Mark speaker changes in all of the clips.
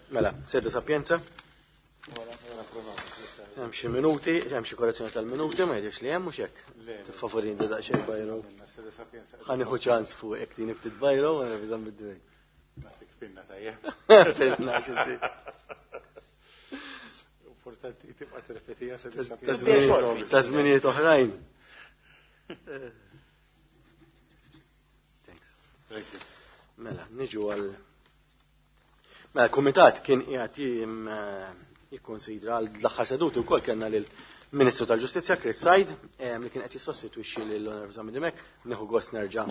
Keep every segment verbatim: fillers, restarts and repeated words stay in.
Speaker 1: Mela, sede sapienza. Hemm xi minuti, hemm xi korrezzjoni tal-minuti, ma jidhirx li hemm mhux hekk. Tifavorini daqsxejn bajro. Ħa nieħu ċans fuq hekk din ftit bajro u nreviżam bid-dwejn.
Speaker 2: Nagħtik pinna tajjeb.
Speaker 1: Pinna xi
Speaker 2: Importanti tibqa' tirrepetiha sede sapienza.
Speaker 1: Ta' żminijiet oħrajn. Thanks.
Speaker 2: Thank you.
Speaker 1: Mela, niġu għal Mela, l-Kumitat kien qiegħed jikkonsidra l-aħħar seduti wkoll kellna lill-Ministru tal-Ġustizzja Chris Said li kien qed jissostitwixxi lil Onorevoli Zammit Dimech, nieħu gost nerġa'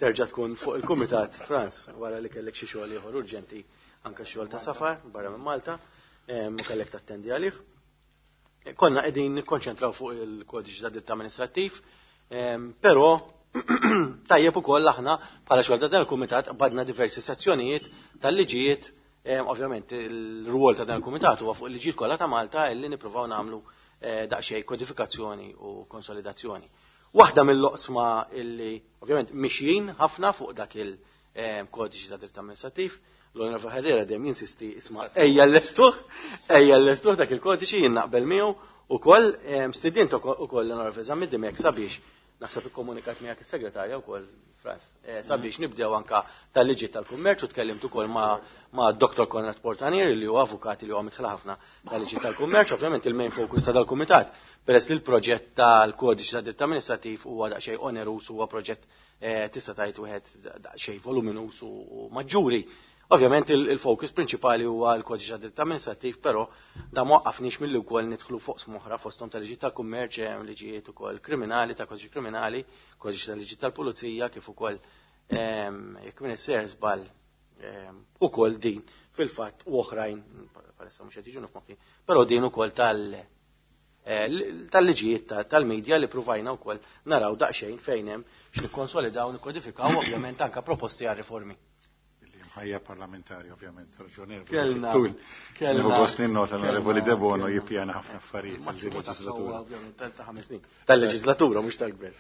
Speaker 1: terġa' tkun fuq il-Kumitat Frans wara li kellek xi xogħol ieħor urġenti anke xogħol ta' safar barra minn Malta u kellek tattendi għalih. Konna qegħdin nikkonċentraw fuq il-kodiċi ta' dritt amministrattiv, però tajjeb ukoll aħna bħala xogħol ta' dan il-kumitat badna diversi sezzjonijiet tal-liġijiet, ovvjament il-rwol ta' dan il-kumitat huwa fuq il-liġijiet kollha ta' Malta illi nippruvaw nagħmlu daqsxejn kodifikazzjoni u konsolidazzjoni. Waħda mill-oqsma illi ovvjament mixjin ħafna fuq dak il-kodiċi ta' dritt amministrattiv, l-Onorevoli Herrera dejjem jinsisti isma' ejja l-lestuh, ejja l-lestuh dak il-kodiċi jien naqbel miegħu ukoll stidint ukoll l-Onorevoli Zammit Dimech sabiex naħseb ikkomunikat miegħek is-segretarja wkoll Frans, sabiex nibdew anka tal-liġi tal-kummerċ u tkellimt ukoll ma' Doktor Konrad Portanier li huwa avukat li huwa mitħla ħafna tal-liġi tal-kummerċ, ovvjament il-main focus ta' dal-kumitat peress li l-proġett tal-kodiċi ta' dritt amministrattiv huwa daqsxejn onerus, huwa proġett tista' tgħid wieħed daqsxejn voluminus u maġġuri. Ovvjament il-focus prinċipali huwa l-kodiċi ta' dritt amministrattiv, però da ma waqqafniex milli wkoll nidħlu fuq smoħra fosthom tal-liġi tal-kummerċ, hemm liġijiet ukoll kriminali, ta' kodiċi kriminali, kodiċi tal-liġi tal-pulizija, kif ukoll jekk min isser żball ukoll din fil-fatt u oħrajn, palissa mhux qed jiġu f'moħħi, però din ukoll tal-liġijiet tal-medja li pruvajna wkoll naraw daqsxejn fejn hemm x'nikkonsolidaw, nikkodifikaw ovvjament anke proposti għal riformi.
Speaker 2: Ħajja parlamentari, ovvjament, raġonevoli.
Speaker 1: Kellna,
Speaker 2: kellna. Nieħu gost ninnota l-Onorevoli Debono jippjana ħafna affarijiet tal-leġislatura.
Speaker 1: Ovvjament, ta' ħames snin. Tal-leġislatura, mhux tal-gvern.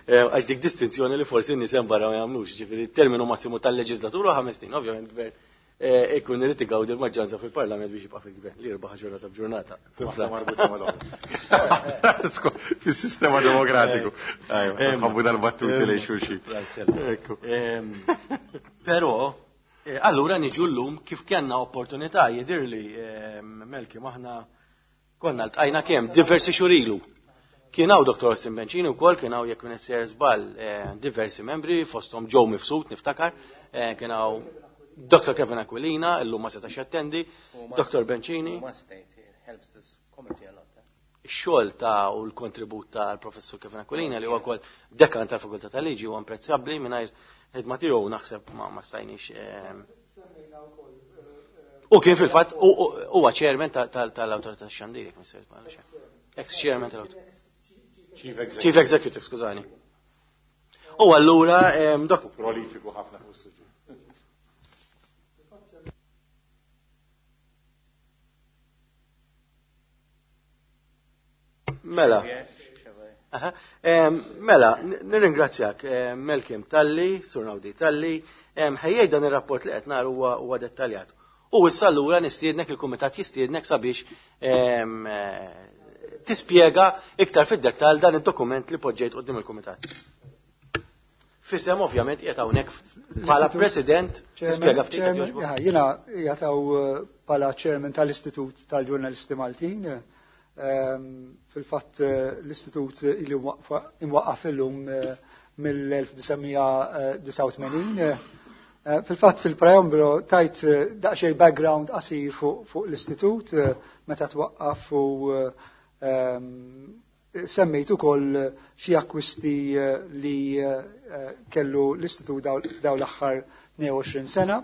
Speaker 1: Għax dik distinzjoni li forsi n-nies hemm barra ma jagħmlux, ġifieri terminu massimu tal-leġislatura ħames snin, ovvjament gvern ikun irid igawdi l-maġġoranza fil-Parlament biex jibqa' fil-gvern, li jirbaħ ġurnata b'ġurnata.
Speaker 2: Waħda marbuta mal-oħra. Fis-sistema demokratiku. Ħabbu dal-battuti lejn xulxin.
Speaker 1: Però, allura niġu llum kif kellna opportunità jidhirli Melki maħna konna ltqajna kemm diversi xhur ilu. Kien hawn Doktor Austin Bencini wkoll, kien hawn jekk minn sejjer żball diversi membri fosthom Joe Mifsud niftakar, kien hawn Doktor Kevin Aquilina, illum ma setax jattendi, Doktor Bencini. Ix-xogħol ta' u l-kontribut tal-Professur Kevin Aquilina li huwa wkoll dekan tal-Fakultà tal-Liġi huwa imprezzabbli mingħajr ħidma tiegħu naħseb ma stajniex. U kien fil-fatt huwa chairman tal-Awtorità tax-Xandir, jekk missejt ma nafx. Ex-chairman tal-Awtorità.
Speaker 2: Chief
Speaker 1: Executive, skużani. U allura dok
Speaker 2: prolifiku ħafna fuq is-suġġett.
Speaker 1: Mela. Mela, nirringrazzjak Melkim talli, Sur Naudi talli, ħejjej dan ir-rapport li qed nar huwa dettaljat. U issa allura nistiednek il-kumitat jistiednek sabiex tispjega iktar fid-dettall dan id-dokument li poġġejt quddiem il-kumitat. Fisem ovvjament qiegħed hawnhekk bħala president tispjega ftit jekk jogħġbok.
Speaker 3: Jiena qiegħed hawn bħala chairman tal-Istitut tal-Ġurnalisti Maltin. Fil-fatt l-istitut ilu imwaqqaf illum mill-elf disa' mija disgħa u tmenin. Fil-fatt fil-preambolo tajt daqsxejn background qasir fuq l-istitut meta twaqqaf u semmejt ukoll xi akkwisti li kellu l-istitut daw l-aħħar tnejn u għoxrin sena.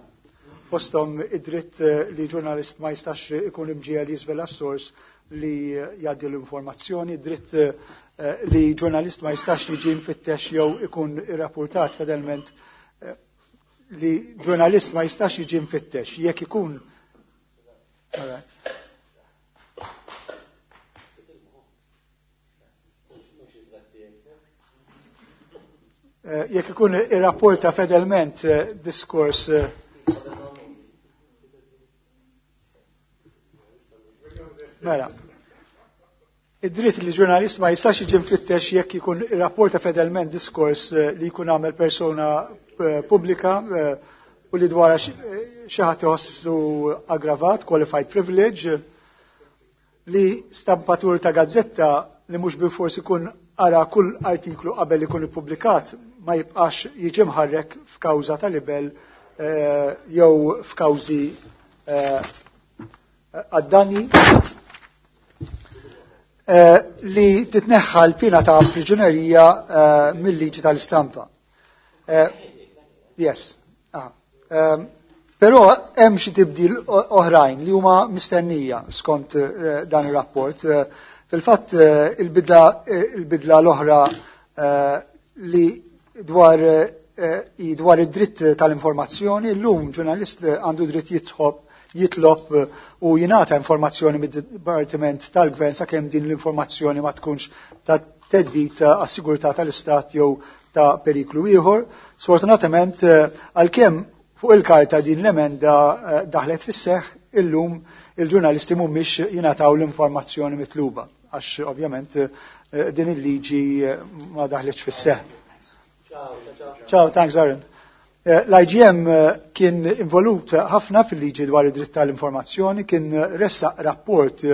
Speaker 3: Fosthom id-dritt li ġurnalist ma jistax ikun imġiegħel jiżvela s-sors li jgħaddi l-informazzjoni, dritt li ġurnalist ma jistax jiġi mfittex jew ikun irrapportat fedelment li ġurnalist ma jistax jiġi mfittex jekk ikun. All right. Jekk ikun irrapporta fedelment diskors mela. Id-dritt li ġurnalist ma jistax jiġi mfittex jekk ikun irrapporta fedelment diskors li jkun għamel persona pubblika u li dwar xi ħadd iħossu aggravat, qualified privilege, li stampatur ta' gazzetta li mhux bilfors ikun ara kull artiklu qabel ikun ippubblikat ma jibqax jiġi mħarrek f'kawża ta' libel jew f'kawżi għad-danni, li titneħħa l-pina ta' priġunerija mill-liġi tal-istampa. Yes. Però hemm xi tibdil oħrajn li huma mistennija skont dan ir-rapport. Fil-fatt il-bidla l-oħra li dwar dwar id-dritt tal-informazzjoni, llum ġurnalist għandu dritt jitħobb jitlob u jingħata informazzjoni mid-Dipartiment tal-Gvern sakemm din l-informazzjoni ma tkunx ta' theddid għas-sigurtà tal-Istat jew ta' periklu ieħor. Sfortunatament għalkemm fuq il-karta din l-emenda daħlet fis-seħħ, illum il-ġurnalisti mhumiex jingħataw l-informazzjoni mitluba għax ovvjament din il-liġi ma daħletx fis-seħħ. Ciao, thanks Aaron. L-I G M kien involut ħafna fil-liġi dwar id-dritt tal-informazzjoni, kien ressaq rapport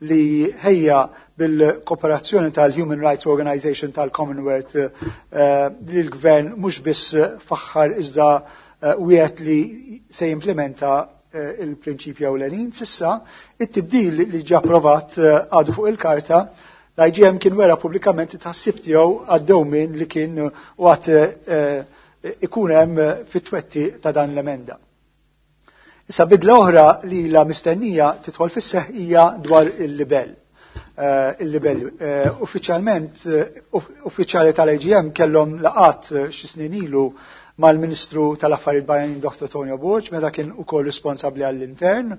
Speaker 3: li ħejja bil-kooperazzjoni tal-Human Rights Organization tal-Commonwealth li l-gvern mhux biss faħħar iżda wieħed li se jimplementa il-prinċipji ewlenin. Sissa, it-tibdil li ġie approvat għadu fuq il-karta, l-I G M kien wera pubblikament it-tħassib tiegħu għad-dewmien li kien u għad ikun hemm fit-twetti ta' dan l-emenda. Issa bidla oħra li la mistennija tidħol fis-seħħ hija dwar il-libell. Il-libell uffiċjalment uffiċjali tal-I G M kellhom laqat xi snin ilu mal-Ministru tal-Affarijiet Barranin Doktor Tonio Borg meta kien ukoll responsabbli għall-intern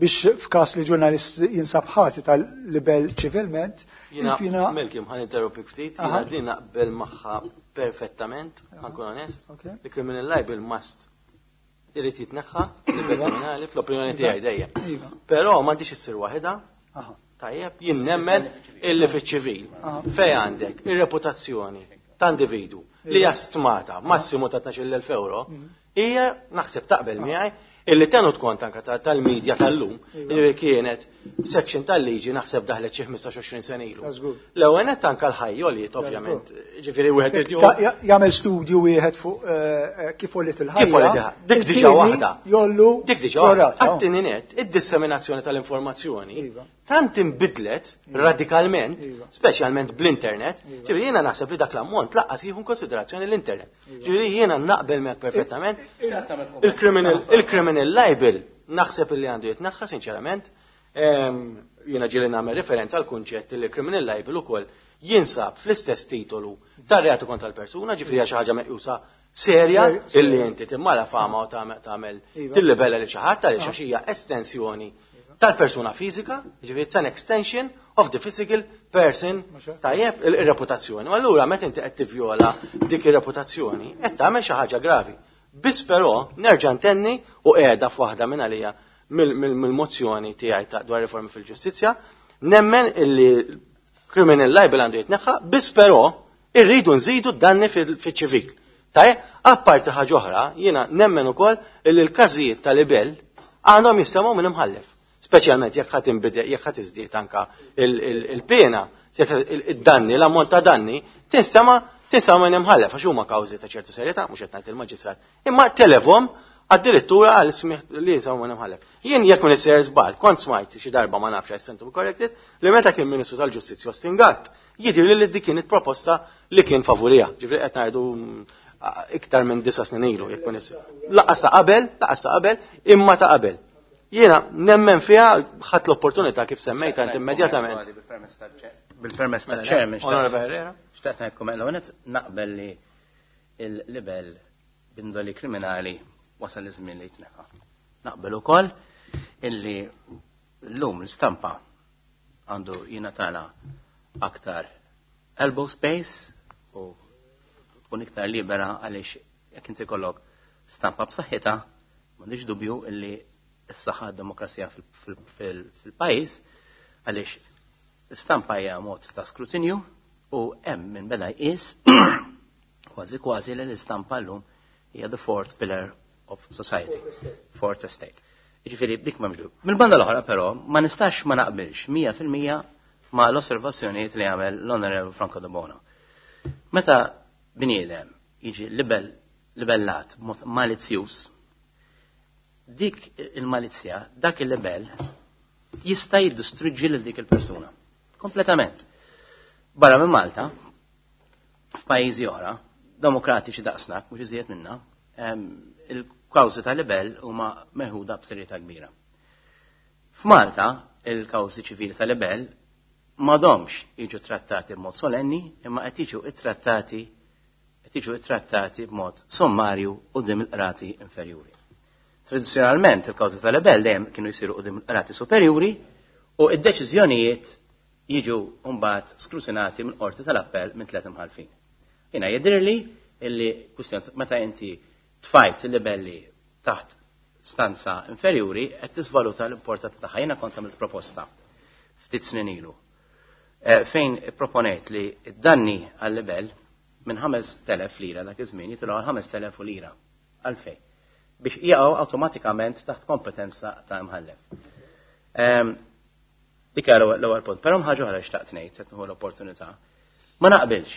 Speaker 3: biex f'każ li ġurnalist jinsab ħati tal-libell ċivilment.
Speaker 1: Jiena Malcolm ħa ninterrompik ftit, jiena din naqbel magħha perfettament, ħankun onest, li criminal libel must irid jitneħħa libel kriminali fl-opinjoni tiegħi dejjem. Però m'għandix issir waħedha. Tajjeb, jien nemmen illi fiċ-ċivil fejn għandek ir-reputazzjoni ta' individu li hija stmata massimu ta' tnax-il elf euro, hija naħseb taqbel miegħi illi tenut kont anke tal-medja tal-lum, li kienet section tal-liġi naħseb daħlet xi ħmistax għoxrin sena ilu. L-ewwel nett anke l-ħajjoliet ovvjament, ġifieri wieħed irid
Speaker 3: jagħmel studju wieħed fuq kif għolliet il-ħajja.
Speaker 1: Kif għolliet il-ħajja. Dik diġà waħda.
Speaker 3: Jollu.
Speaker 1: Dik diġà waħda. Għat-tieni nett, id-disseminazzjoni tal-informazzjoni tant inbidlet radikalment, speċjalment bl-internet, ġifieri jiena naħseb li dak l-ammont laqqas jieħu konsiderazzjoni l-internet. Ġifieri jiena naqbel miegħek perfettament. Il-criminal libel naħseb li għandu jitnaħħa sinċerament. Jiena ġieli nagħmel referenza għal kunċett li criminal libel ukoll jinsab fl-istess titolu tar-reati kontra l-persuna, ġifieri hija xi ħaġa meqjusa serja illi inti timmala fama u tagħmel tillibella li xi ħadd għaliex għax hija estensjoni tal-persuna fiżika, ġifieri it's an extension of the physical person, tajjeb, ir-reputazzjoni. U allura meta inti qed tivjola dik ir-reputazzjoni, qed tagħmel xi ħaġa gravi. Biss però nerġa' ntenni u qiegħda f'waħda minn għalija mill-mozzjoni tiegħi ta' dwar riformi fil-ġustizzja, nemmen illi criminal libel għandu jitneħħa, biss però irridu nżidu d-danni fiċ-ċivil. Tajjeb, apparti ħaġa oħra, jiena nemmen ukoll illi l-każijiet tal-libel għandhom jistemgħu minn imħallef. Speċjalment jekk ħadd inbidel, jekk ħadd iżdied anka il-pena, jekk id-danni, l-ammont ta' danni, tinstema' tinstema' minn imħallef għax huma kawżi ta' ċertu serjetà, mhux qed ngħid il-maġistrat, imma telefhom addirittura għal smigħ li jinsabu minn imħallef. Jien jekk minn isser żball, kont smajt xi darba ma nafx I stand to be corrected, li meta kien Ministru tal-Ġustizzja Austin Gatt, jidhirli li dik kienet proposta li kien favurija. Ġifieri qed ngħidu iktar minn disa' snin ilu jekk minn isser. Laqqas ta' qabel, laqqas ta' qabel, imma ta' qabel. Jiena nemmen fiha ħadd l-opportunità kif semmejt int immedjatament.
Speaker 4: Bil-permess tal-Chairman,
Speaker 1: Onorevole Herrera.
Speaker 4: Xtaqt ngħidkom l-ewwel nett naqbel li l-libel b'indoli kriminali wasal iż-żmien li jitneħħa. Naqbel ukoll illi llum l-istampa għandu jingħatala aktar elbow space u tkun iktar libera għaliex jekk inti kollok stampa b'saħħitha, m'għandix dubju illi s-saħħa d-demokrazija fil-pajjiż għaliex l-istampa hija mod ta' skrutinju u hemm min beda jqis kważi kważi li l-istampa llum hija the fourth pillar of society, fourth estate. Jiġifieri dik m'hemmx dubju. Mill-banda l-oħra però ma nistax ma naqbilx mija fil-mija ma l-osservazzjonijiet li għamel l-Onorevole Franco Debono. Meta bniedem jiġi libel libellat b'mod malizzjuż, dik il-malizzja, dak il-libel jista' jiddistruġġi lil dik il-persuna. Kompletament. Barra minn Malta, f'pajjiżi oħra, demokratiċi daqsna, mhux iżjed minna, il-kawżi ta' libel huma meħuda b'serjetà kbira. F'Malta, il-kawżi ċivili ta' libel m'għadhomx jiġu trattati b'mod solenni, imma qed jiġu ittrattati qed jiġu ittrattati b'mod sommarju quddiem il-qrati inferjuri. Tradizzjonalment il-kawżi ta' libel dejjem kienu jsiru quddiem il-qrati superjuri u id-deċiżjonijiet jiġu mbagħad skrutinati minn qorti tal-appell minn tliet imħalfin. Jiena jidhirli illi kwistjoni meta inti tfajt il-libelli taħt stanza inferjuri qed tisvaluta l-importanza tagħha. Jiena kont għamilt proposta ftit snin ilu fejn proponejt li d-danni għal-libel minn ħamest elef lira dak iż-żmien jitilgħu għal ħamest elef lira. Għalfejn? Biex jaqgħu awtomatikament taħt kompetenza ta' imħallef. Dik l-ewwel punt. Però ħaġa oħra xtaqt ngħid qed nieħu l-opportunità. Ma naqbilx.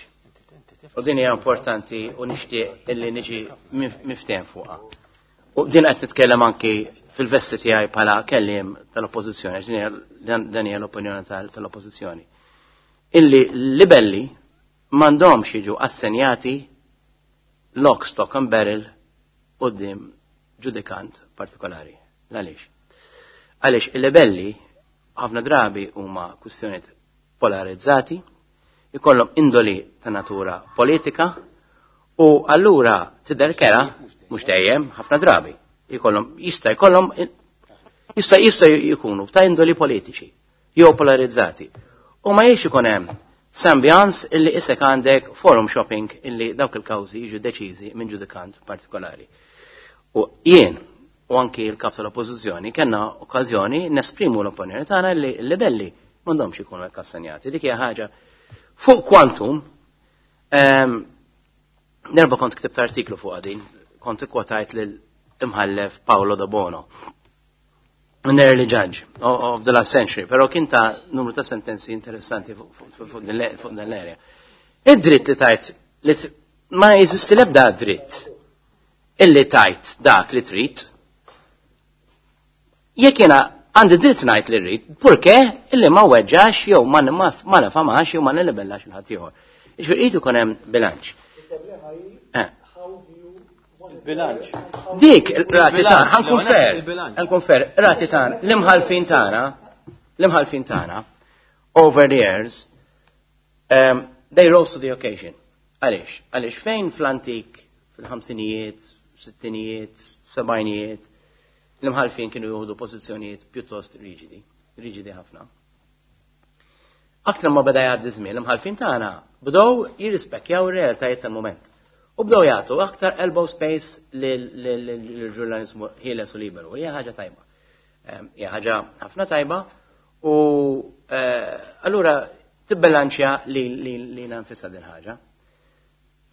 Speaker 4: U din hija importanti u nixtieq illi niġi miftehim fuqha. U din qed nitkellem anki fil-vesti tiegħi bħala kelliem tal-oppożizzjoni, għax din hija l-opinjoni tal-oppożizzjoni. Illi libelli m'għandhomx jiġu assenjati lock, stock and barrel quddiem ġudikant partikolari. Għaliex? Għaliex il-libelli ħafna drabi huma kwistjonijiet polarizzati, ikollhom indoli ta' natura politika u allura tidher kera mhux dejjem ħafna drabi ikollhom jista' jkollhom jista' jista' jkunu ta' indoli politiċi jew polarizzati. U ma jiex ikun hemm sambjans illi isek għandek forum shopping illi dawk il-kawżi jiġu deċiżi minn ġudikant partikolari. U jien u anki l-kap tal-oppożizzjoni kellna okkażjoni nesprimu l-opinjoni tagħna li l-libelli m'għandhomx ikunu hekk assenjati. Dik hija ħaġa fuq quantum. Nerba kont ktibt artiklu fuq din, kont ikkwotajt lil imħallef Paolo Debono, an early judge of the last century, però kien ta' numru ta' sentenzi interessanti fuq din l-area. Id-dritt li tajt, li ma jeżisti l-ebda dritt illi tajt dak li trid. Jekk jiena għandi dritt ngħid li rrid, purché illi ma weġġax jew ma ma nafamax jew ma nilibellax il-ħadd ieħor. Jiġifieri irid ikun hemm bilanċ.
Speaker 1: Bilanċ.
Speaker 4: Dik rati tagħna, ħa nkun fair, ħa nkun fair, rati tagħna, l-imħalfin tagħna, l-imħalfin tagħna, over the years, um, they rose to the occasion. Għaliex? Għaliex fejn fl-antik, fil-ħamsinijiet, sittinijiet, sebgħinijiet, l-imħalfin kienu jieħdu pożizzjonijiet pjuttost riġidi, riġidi ħafna. Aktar ma beda jgħaddi żmien, l-imħalfin tagħna bdew jirrispekjaw ir-realtajiet tal-mument. U bdew jagħtu aktar elbow space lill-ġurnalizmu ħieles u liberu. Hija ħaġa tajba. Hija ħaġa ħafna tajba u allura tibbilanċja li li nfisha din ħaġa.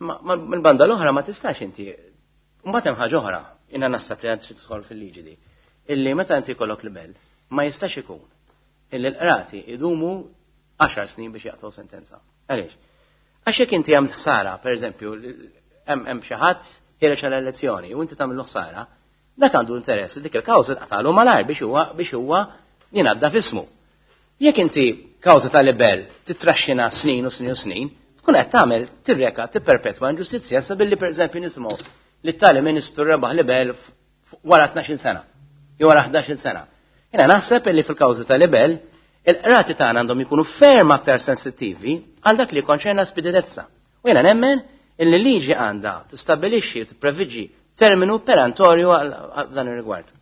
Speaker 4: Mill-banda l-oħra ma tistax inti. Mbagħad hemm ħaġa oħra, jiena naħseb li għand trid tidħol fil-liġi di. Illi meta inti jkollok libel, ma jistax ikun illi l-qrati idumu għaxar snin biex jaqtgħu sentenza. Għaliex? Għax jekk inti għamilt ħsara, per eżempju, hemm xi ħadd ħiereġ għal elezzjoni u inti tagħmlu ħsara, dak għandu interess li dik il-kawża tqatalu malajr biex huwa biex huwa jingħadda f'ismu. Jekk inti kawża ta' libel titraxxina snin u snin u snin, tkun qed tagħmel tirreka tipperpetwa inġustizzja sa billi pereżempju nisimgħu li tali ministru rebaħ libel wara tnax-il sena jew wara ħdax-il sena. Jiena naħseb li fil-kawża ta' libel il-qrati tagħna għandhom ikunu ferm aktar sensittivi għal dak li konċerna speditezza. U jiena nemmen illi liġi għandha tistabbilixxi u tippreviġi terminu perentorju għal dan ir-rigward.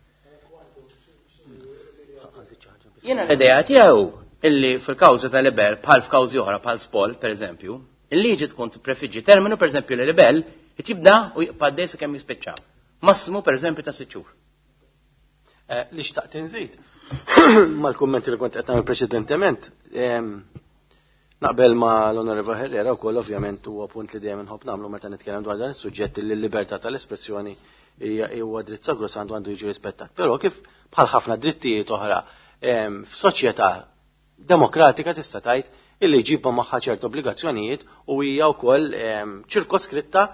Speaker 4: Jiena l-idea tiegħu illi fil-kawża ta' libel bħal f'kawżi oħra bħal spol, pereżempju, Il-liġi tkun tipprefiġġi terminu, pereżempju, li libel jibda u jibqa' għaddej sakemm jispiċċa. Massimu pereżempju ta' sitt xhur.
Speaker 1: Eh, li xtaqt inżid mal-kummenti li kont qed nagħmel preċedentement, naqbel ma l-Onorevole Herrera wkoll, ovvjament huwa punt li dejjem inħobb nagħmlu meta nitkellem dwar dan is-suġġett, li l-libertà tal-espressjoni huwa dritt sagrosantu, għandu jiġi rispettat. Però kif bħal ħafna drittijiet oħra f'soċjetà demokratika, tista' tgħid illi jġibha magħha ċertu obbligazzjonijiet u hija wkoll ċirkoskritta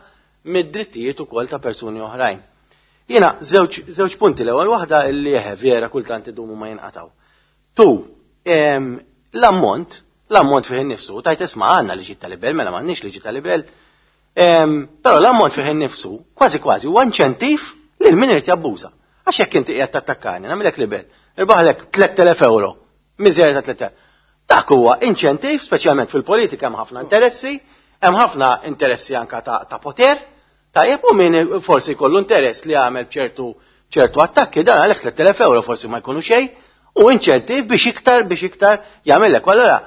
Speaker 1: mid-drittijiet ukoll ta' persuni oħrajn. Jiena żewġ punti. L-ewwel waħda, illi eħe, vera, kultant idumu ma jinqataw. Tu, l-ammont, l-ammont fih innifsu, tajt isma' għandna liġi tal-libel, mela m'għandniex liġi tal-libel. Però l-ammont fih innifsu, kważi kważi huwa inċentiv lil min irid jabbuża. Għax jekk inti qiegħed tattakkani, nagħmilek libel, irbaħlek tliet elef euro, miżerja ta' tliet elef. Dak huwa inċentiv, speċjalment fil-politika hemm ħafna interessi, hemm ħafna interessi anka ta', ta poter, tajjeb, u min forsi jkollu interess li għamel ċertu ċertu attakki, dan għalhekk tliet elef euro forsi ma jkunu xejn, u inċentiv biex iktar biex iktar jagħmellek. Allora,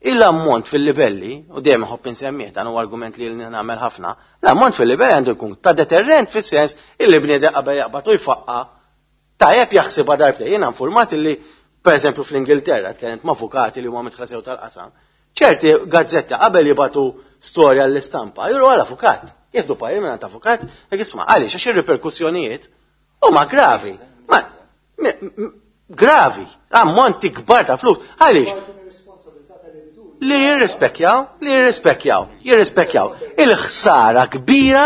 Speaker 1: il-ammont fil-livelli, u dejjem ħobb insemmih, dan huwa argument li nagħmel ħafna, l-ammont fil-livelli għandu jkun ta' deterrent fis-sens illi bniedem qabel jaqbad u jfaqqa, tajjeb, jaħsibha darbtejn. Jiena informat illi, per eżempju, fl-Ingilterra, tkellimt ma' avukati li huma midħla sew tal-qasam, ċerti gazzetta qabel jibatu storja l-istampa, juru għal avukat, jieħdu parir minn avukat, jekk isma' għaliex, għax ir-riperkussjonijiet huma gravi. Ma gravi, ammonti kbar ta' flus. Għaliex? Li jirrispekjaw, li jirrispekjaw, jirrispekjaw il-ħsara kbira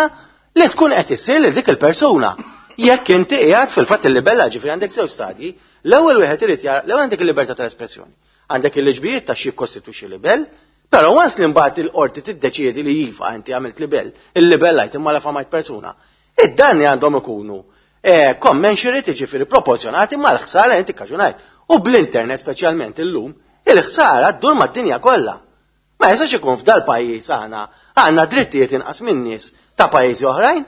Speaker 1: li tkun qed issir lil dik il-persuna. Jekk inti qiegħed fil-fatt il-libella, ġifieri għandek żewġ stadji, l-ewwel wieħed irid jara, l-ewwel għandek il-libertà tal-espressjoni. Għandek il-liġbijiet ta' xi jikkostitwixxi libel, però once li mbagħad il-qorti tiddeċiedi li iva, inti għamilt libel, il-libellajt imma la famajt persuna. Id-danni għandhom ikunu eh, commensurate, ġifieri proporzjonati mal-ħsara inti kkaġunajt. U bl-internet speċjalment illum, il-ħsara ddur mad-dinja kollha. Ma jistax ikun f'dal pajjiż aħna għandna drittijiet inqas minn nies ta' pajjiżi oħrajn.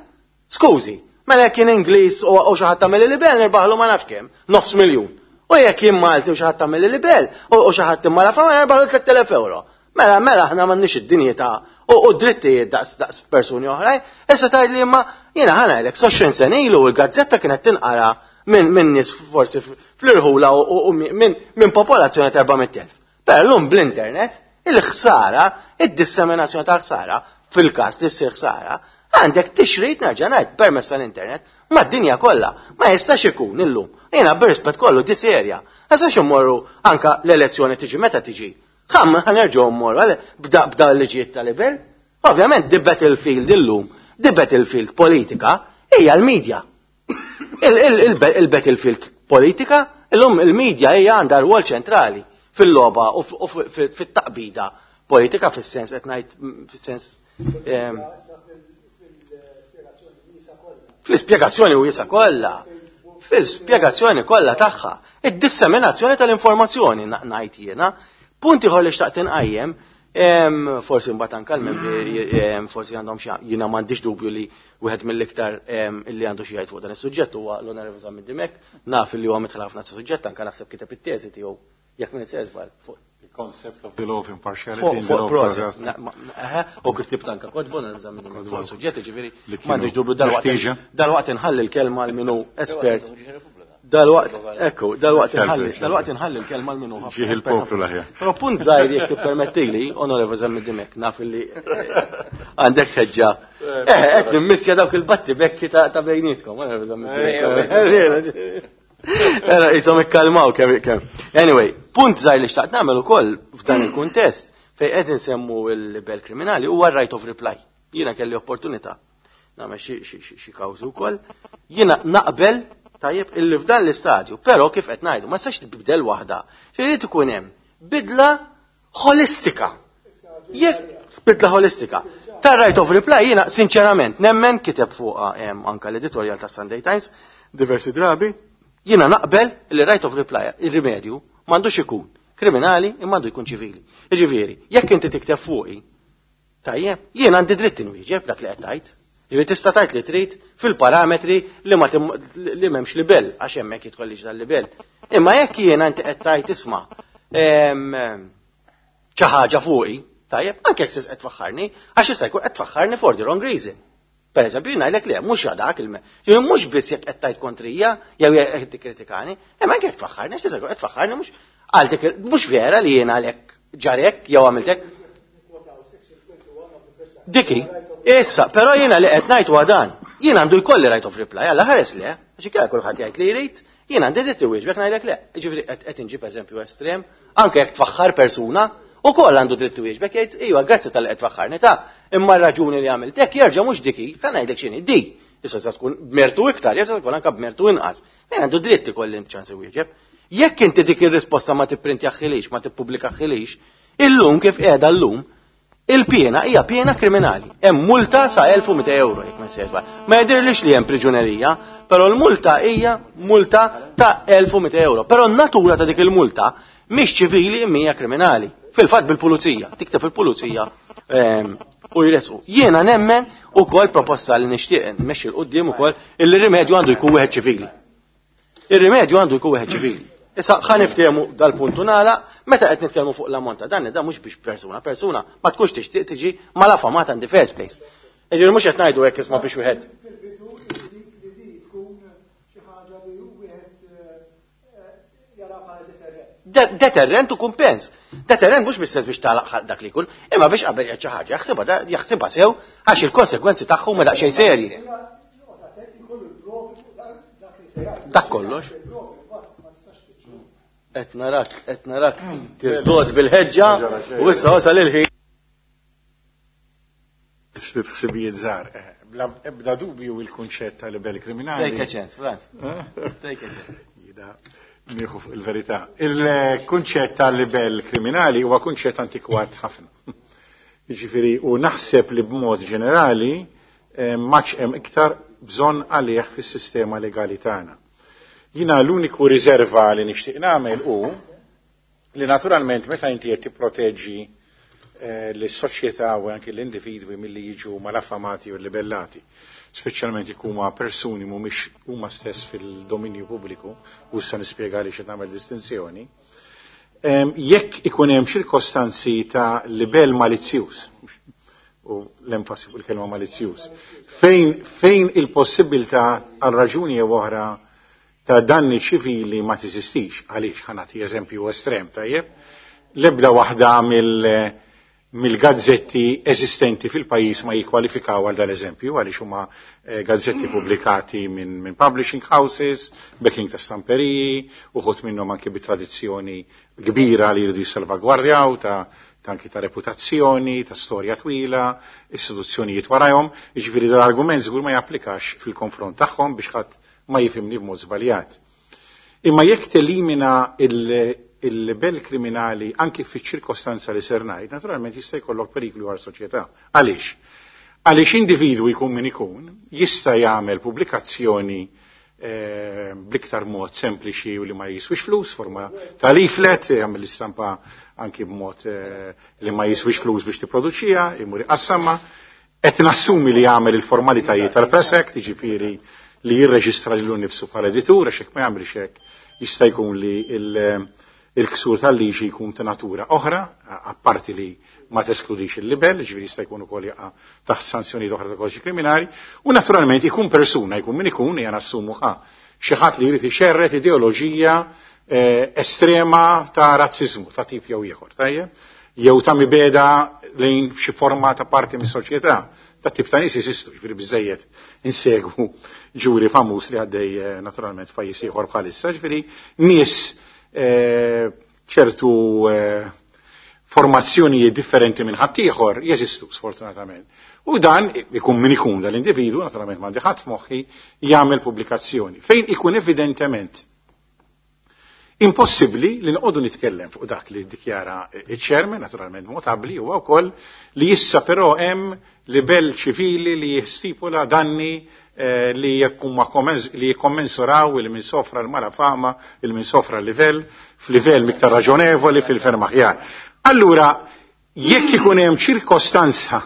Speaker 1: Skużi, mela jekk kien Ingliż u xi ħadd tagħmel libel nirbaħlu ma nafx kemm, nofs miljun. U jekk kien Malti u xi ħadd tagħmel libel u xi ħadd imma la fama nirbaħlu tliet elef euro. Mela mela aħna m'għandniex id-dinjità u drittijiet daqs daqs persuni oħrajn. Issa tgħid li imma jiena ħa ngħidlek, għoxrin sena ilu l-gazzetta kienet tinqara minn min nies forsi fl-irħula u minn min popolazzjoni ta' erba' mitt elf. Però llum bl-internet, il-ħsara, id-disseminazzjoni ta' ħsara, fil-każ li ssir ħsara, għandek tixrid, nerġa' ngħid, permezz tal-internet mad-dinja kollha. Ma jistax ikun illum. Jiena b'rispett kollu di serja. Ma jistax immorru anka l-elezzjoni tiġi meta tiġi. Ħam ħa nerġgħu mmorru bda bda l-liġijiet tal-libel. Ovvjament the battlefield illum, the battlefield politika hija l-medja. Il-battlefield politika, illum il-medja hija għandha rwol ċentrali fil-logħba u fit-taqbida politika fis-sens qed ngħid fis-sens fl-ispjegazzjoni wiesgħa kollha, fil-spjegazzjoni kollha tagħha, id-disseminazzjoni tal-informazzjoni, ngħid jiena. Punti ieħor li xtaqt inqajjem, forsi mbagħad anke l-membri forsi għandhom xi, jiena m'għandix dubju li wieħed mill-iktar illi għandu xi jgħid fuq dan is-suġġett huwa l-Onorevoli Zammit Dimech, naf li huwa midħla ħafna suġġett, anke naħseb kiteb it-teżi tiegħu, jekk minn żball, fuq
Speaker 2: The concept of the law of impartiality in the
Speaker 1: law of. U kif ktibt anka kotbu Zammit Dimech fuq suġġett, ġifieri m'għandix dubju dal-waqt dal-waqt inħalli l-kelma għal min hu espert. Dal-waqt, ekku, dal-waqt inħalli, dal-waqt inħalli l-kelma l minu.
Speaker 2: Ġieħ il-poplu l-aħjar.
Speaker 1: Però punt żgħir, jekk tippermettili, Onorevoli Zammit Dimech, naf li għandek ħeġġa. Eh, qed nimmissja dawk il-batti bekki ta' bejnietkom, Onorevoli Zammit Dimech. Era jisom ikkalmaw kemm kemm. Anyway, punt żgħir li xtaqt nagħmel ukoll f'dan il-kuntest fejn qed insemmu l-libel kriminali huwa right of reply. Jiena kelli opportunità nagħmel xi kawżi wkoll. Jiena naqbel, tajjeb, illi f'dan l-istadju, però kif qed ngħidu, ma tistax tibdel waħda. Irid ikun hemm bidla holistika. Jekk bidla holistika. Ta' right of reply, jiena sinċerament nemmen, kiteb fuqha anka l-editorial ta' Sunday Times diversi drabi, jiena naqbel li right of reply, il-rimedju, m'għandux ikun kriminali imma għandu jkun ċivili. Jiġifieri, jekk inti tikteb fuqi, tajjeb, jiena għandi dritt inwieġeb dak li qed tgħid. Ġifieri tista' tgħid li trid fil-parametri li ma li m'hemmx libel, għax hemmhekk jidħol dal-libel. Imma jekk jiena inti qed tgħid, isma', xi ħaġa fuqi, Tajjeb, anke jekk qed tfaħħarni, għax issa jkun qed tfaħħarni for the wrong reason. Per eżempju, jien ngħidlek le, mhux dak il Ġifieri mhux biss jekk qed tgħid kontrija jew jekk qed tikkritikani, imma anke jekk tfaħħarni, għax tista' jkun qed tfaħħarni mhux għal dik mhux vera li jien għalhekk ġarek jew għamilt hekk. Diki, issa, però jiena li qed ngħid huwa dan. Jien għandu jkolli right of reply, alla ħares le, għax inkella kulħadd jgħid li jrid, jien għandi dritt iwieġbek ngħidlek le. Ġifieri qed qed inġib eżempju estrem, anke jekk tfaħħar persuna, ukoll għandu dritt iwieġbek jgħid iva grazzi talli qed tfaħħarni ta' imma r-raġuni li għamilt hekk jerġa' mhux diki, ħa ngħidlek x'inhi di. Issa se tkun b'mertu iktar, jerġa' tkun anke b'mertu inqas. Jien għandu dritt ikolli ċans iwieġeb. Jekk inti dik ir-risposta ma tipprintjaħħilix, ma tippubblikaħħilix, illum kif qiegħda llum, il-piena hija piena kriminali. Hemm multa sa elf u mitejn euro jekk ma nsejx. Ma jidhirlix li hemm priġunerija, però l-multa hija multa ta' elf u mitejn euro. Però n-natura ta' dik il-multa mhix ċivili imma hija kriminali. Fil-fatt bil-pulizija, tikteb il-pulizija ehm, u jresqu. Jiena nemmen ukoll proposta li nixtieq nmexxi 'l quddiem ukoll il-rimedju għandu jkun wieħed ċivili. Ir-rimedju għandu jkun wieħed ċivili. Issa ħa niftehmu dal-puntu nagħlaq, meta qed nitkellmu fuq l-ammont ta' danni, da mhux biex persuna, persuna ma tkunx tixtieq tiġi malafamata in the first place. Jiġifieri mhux qed ngħidu hekk isma' biex wieħed.
Speaker 3: Fil-bidu li li tkun xi ħaġa li wieħed jara bħala deterrent.
Speaker 1: De- Deterrent u kumpens. Deterrent mhux bis biex tagħlaq dak li jkun, imma biex qabel jgħid xi ħaġa jaħsibha da- jaħsibha sew għax il-konsekwenzi tagħhom ma daqsxejn serji. Dak kollox. Qed narak, qed narak tirtod bil-ħeġġa u issa wasal il-ħin.
Speaker 2: Ħsibijiet żgħar. Eh, Bla ebda dubju il-kunċett ta' libel kriminali.
Speaker 1: Take a chance, Franz. Take a chance.
Speaker 2: Jiena nieħu fuq il-verità. Il-kunċett ta' libel kriminali huwa kunċett antikwat ħafna. Jiġifieri u naħseb li b'mod ġenerali eh, m'għadx hemm iktar bżonn għalih fis-sistema legali tagħna. Jiena l-uniku riserva li nixtieq nagħmel hu li naturalment meta inti qed tipproteġġi eh, l-soċjetà u anke l-individwi milli jiġu malafamati u libellati, speċjalment jekk huma persuni mhumiex huma stess fil-dominju pubbliku, u issa nispjega li nagħmel distinzjoni, em, jekk ikun hemm ċirkostanzi ta' libel malizzjuż, u l-enfasi fuq il-kelma malizzjuż, fejn, fejn il-possibilità għal raġuni jew oħra ta' danni ċivili ma teżistix, għaliex ħa nagħti eżempju estrem, tajjeb, l-ebda waħda mill mill-gazzetti eżistenti fil-pajjiż ma jikkwalifikaw għal dal-eżempju, għaliex huma eh, gazzetti pubblikati minn min publishing houses, backing ta' stamperiji, uħud minnhom anke bi tradizzjoni kbira li jridu jissalvagwardjaw ta' ta' anki ta' reputazzjoni, ta' storja twila, istituzzjonijiet warajhom, jiġifieri dal-argument żgur ma japplikax fil-konfront tagħhom biex ħadd ma jifhimni b'mod żbaljat. Imma jekk telimina il-libel kriminali anki fiċ-ċirkostanza li ser ngħid, naturalment jista' jkollok periklu għal soċjetà. Għaliex? Għaliex individwu jkun min ikun jista' jagħmel pubblikazzjoni eh, bl-iktar mod sempliċi u li ma jiswix flus, forma ta' leaflet, jagħmel l-istampa anki b'mod eh, li ma jiswix flus biex tipproduċija, imur iqassamha, qed nassumi li jagħmel il-formalitajiet tal-Press Act, jiġifieri li jirreġistra lilu nnifsu bħala editur, għax hekk ma jagħmilx hekk jista' jkun li il- il-ksur tal-liġi jkun ta' natura oħra, apparti li ma teskludix il-libel, ġifieri jista' jkun ukoll jaqa' taħt sanzjonijiet oħra ta' kodiċi kriminali, u naturalment ikun persuna, jkun min ikun, jien nassumu ħa xi ħadd li jrid ixerret ideoloġija eh, estrema ta' razzizmu, ta' tip jew ieħor, tajjeb? Jew ta' mibegħda lejn xi forma ta' parti mis-soċjetà. Ta' tip ta' nies jeżistu, jiġifieri biżejjed insegwu ġuri famuż li għaddej eh, naturalment f'pajjiż ieħor bħalissa, ġifieri nies eh, ċertu eh, formazzjonijiet differenti minn ħaddieħor jeżistu sfortunatament. U dan ikun min ikun dal-individu, naturalment m'għandi ħadd f'moħħi, jagħmel pubblikazzjoni. Fejn ikun evidentement impossibbli li noqogħdu nitkellem fuq dak li ddikjara iċ-chairman, naturalment notabbli huwa wkoll li issa però hemm libel ċivili li jistipula danni eh, li jekk li jikkommensuraw il min sofra l-malafama, il min sofra l-livell, f'livell miktar raġonevoli fil-ferm aħjar. Allura, jekk ikun hemm ċirkostanza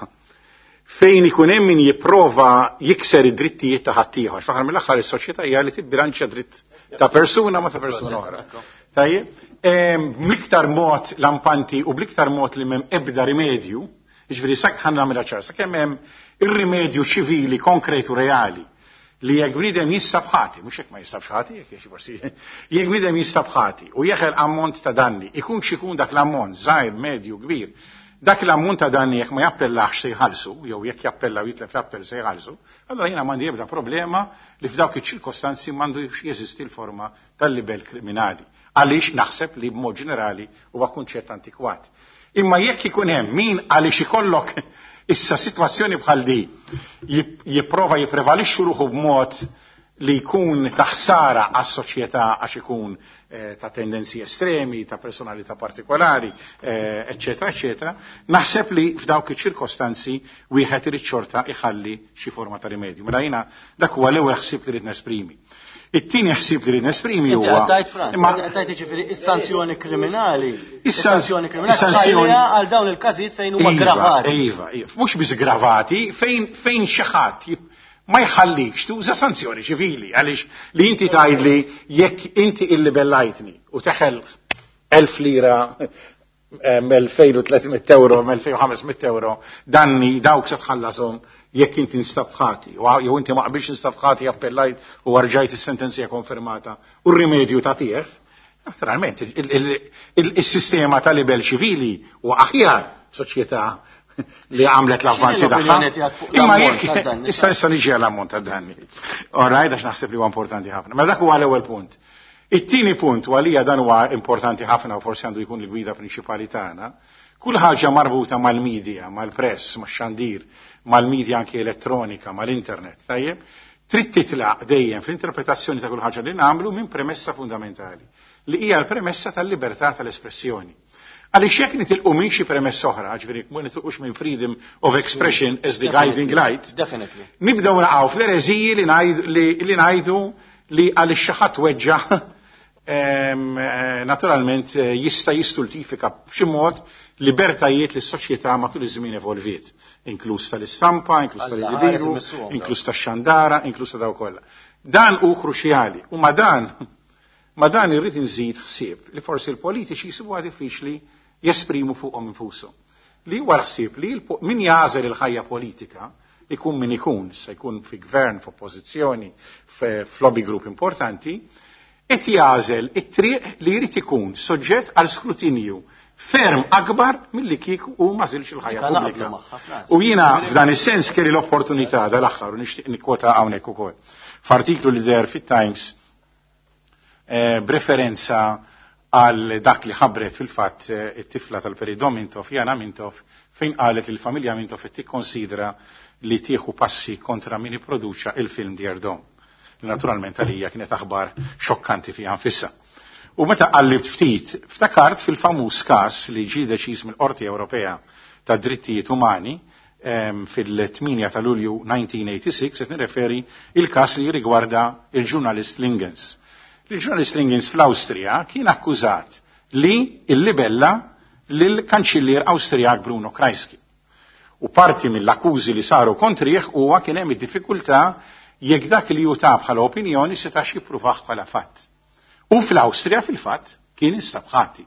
Speaker 2: fejn ikun hemm min jipprova jikser id-drittijiet ta' ħaddieħor, fl-aħħar mill-aħħar is-soċjetà hija li tibbilanċja dritt ta' persuna ma ta' persuna oħra. Tajjeb, bl-iktar mod lampanti u bl-iktar mod li m'hemm ebda rimedju, jiġifieri sak ħa nagħmilha ċar, sakemm hemm ir-rimedju ċivili konkretu reali li jekk bniedem jinstab ħati, mhux jekk ma jinstabx ħati, jekk jekk forsi, jekk bniedem jinstab ħati u jeħel ammont ta' danni, ikun x'ikun dak l-ammont, żgħir, medju, kbir, dak l-ammont ta' danni jekk ma jappellax se jħallsu, jew jekk jappella u jitlef l-appell se jħallsu, allora jiena m'għandi ebda problema li f'dawk iċ-ċirkostanzi m'għandu jeżisti l-forma tal-libel kriminali. Għaliex naħseb li b'mod ġenerali huwa kunċett antikwat. Imma jekk ikun hemm min għaliex ikollok issa sitwazzjoni bħal di jipprova jipprevalixxu ruħu b'mod li jkun ta' ħsara għas-soċjetà għax ikun eh, ta' tendenzi estremi, ta' personalità partikolari, eccetera, eccetera, naħseb li f'dawk iċ-ċirkostanzi wieħed irid xorta iħalli xi forma ta' rimedju. Mela jiena dak huwa l-ewwel ħsieb li rrid nesprimi. It-tieni ħsieb li rrid nesprimi huwa.
Speaker 1: Tajt Franz, tajt jiġifieri is-sanzjoni kriminali. Is-sanzjoni kriminali għal dawn il-każijiet fejn huma gravati.
Speaker 2: Iva, iva, mhux biss gravati, fejn fejn xi ħadd ma jħallikx tuża sanzjoni ċivili, għaliex li inti tgħidli jekk inti illibellajtni u teħel elf lira elfejn u tliet mitt euro, elfejn u ħames mitt euro, danni dawk se tħallasom jekk inti nstab ħati, jew inti ma qbilx nstab ħati appellajt u rġajt is-sentenzja konfermata u r-rimedju tagħtih, naturalment il-sistema ta' libel ċivili u aħjar soċjetà li għamlet l-avvanzi tagħha. Imma jekk issa issa niġi għall-ammont ta' danni. All right, għax naħseb li huwa importanti ħafna. Ma dak huwa l-ewwel punt. It-tieni punt u għalija dan huwa importanti ħafna u forsi għandu jkun l-gwida prinċipali tagħna. Kull ħaġa marbuta mal-medja, mal-press, max-xandir, mal-medja anke elettronika, mal-internet, tajjeb, trid titlaq dejjem fl-interpretazzjoni ta' kull ħaġa li nagħmlu minn premessa fundamentali, li hija l-premessa tal-libertà tal-espressjoni. Għaliex jekk nitilqu minn xi premessa oħra, ġifieri ma nitilqux minn freedom of expression as the guiding light,
Speaker 1: Definitely.
Speaker 2: nibdew naqgħu fl-ereżiji li ngħidu li għaliex xi ħadd weġġa' naturalment jista' jistultifika b'xi mod libertajiet li s-soċjetà matul iż-żmien evolviet, inkluż tal-istampa, inkluż tal-individwu, inkluż tax-xandara, inkluż ta' daw kollha. Dan hu kruċjali u ma dan ma dan irrid inżid ħsieb li forsi l-politiċi jsibuha diffiċli jesprimu fuqhom infushom. Li huwa ħsieb li min jagħżel il-ħajja politika ikun min ikun, se jkun fi gvern, f'oppożizzjoni, f'lobby group importanti, qed jagħżel it-triq li jrid ikun soġġett għal skrutinju ferm akbar milli kieku u ma żilx il-ħajja pubblika. U jiena f'dan is-sens kelli l-opportunità dal-aħħar u nixtieq nikkwota hawnhekk ukoll. F'artiklu li deher fit-Times b'referenza għal dak li ħabbret fil-fatt it-tifla tal-Perit Mintoff, Jana Mintoff, fejn qalet li l-familja Mintoff qed tikkonsidra li tieħu passi kontra min ipproduċa il-film Dear Dom. Naturalment għalija kienet aħbar xokkanti fiha nfisha. U meta qallibt ftit, ftakart fil-famuż każ li ġie deċiż mill-Qorti Ewropea tad Drittijiet Umani fil-tmienja ta' Lulju nineteen eighty-six, qed nirreferi il-każ li rigwarda il-ġurnalist Lingens. Il-ġurnalist Lingens fl-Awstrija kien akkużat li illibella lill-kanċillier Awstrijak Bruno Kreisky. U parti mill-akkużi li saru kontrih huwa kien hemm id-diffikultà jekk dak li hu ta bħala opinjoni setax jippruvah bħala fatt. U fl-Awstrija fil-fatt kien instab ħati.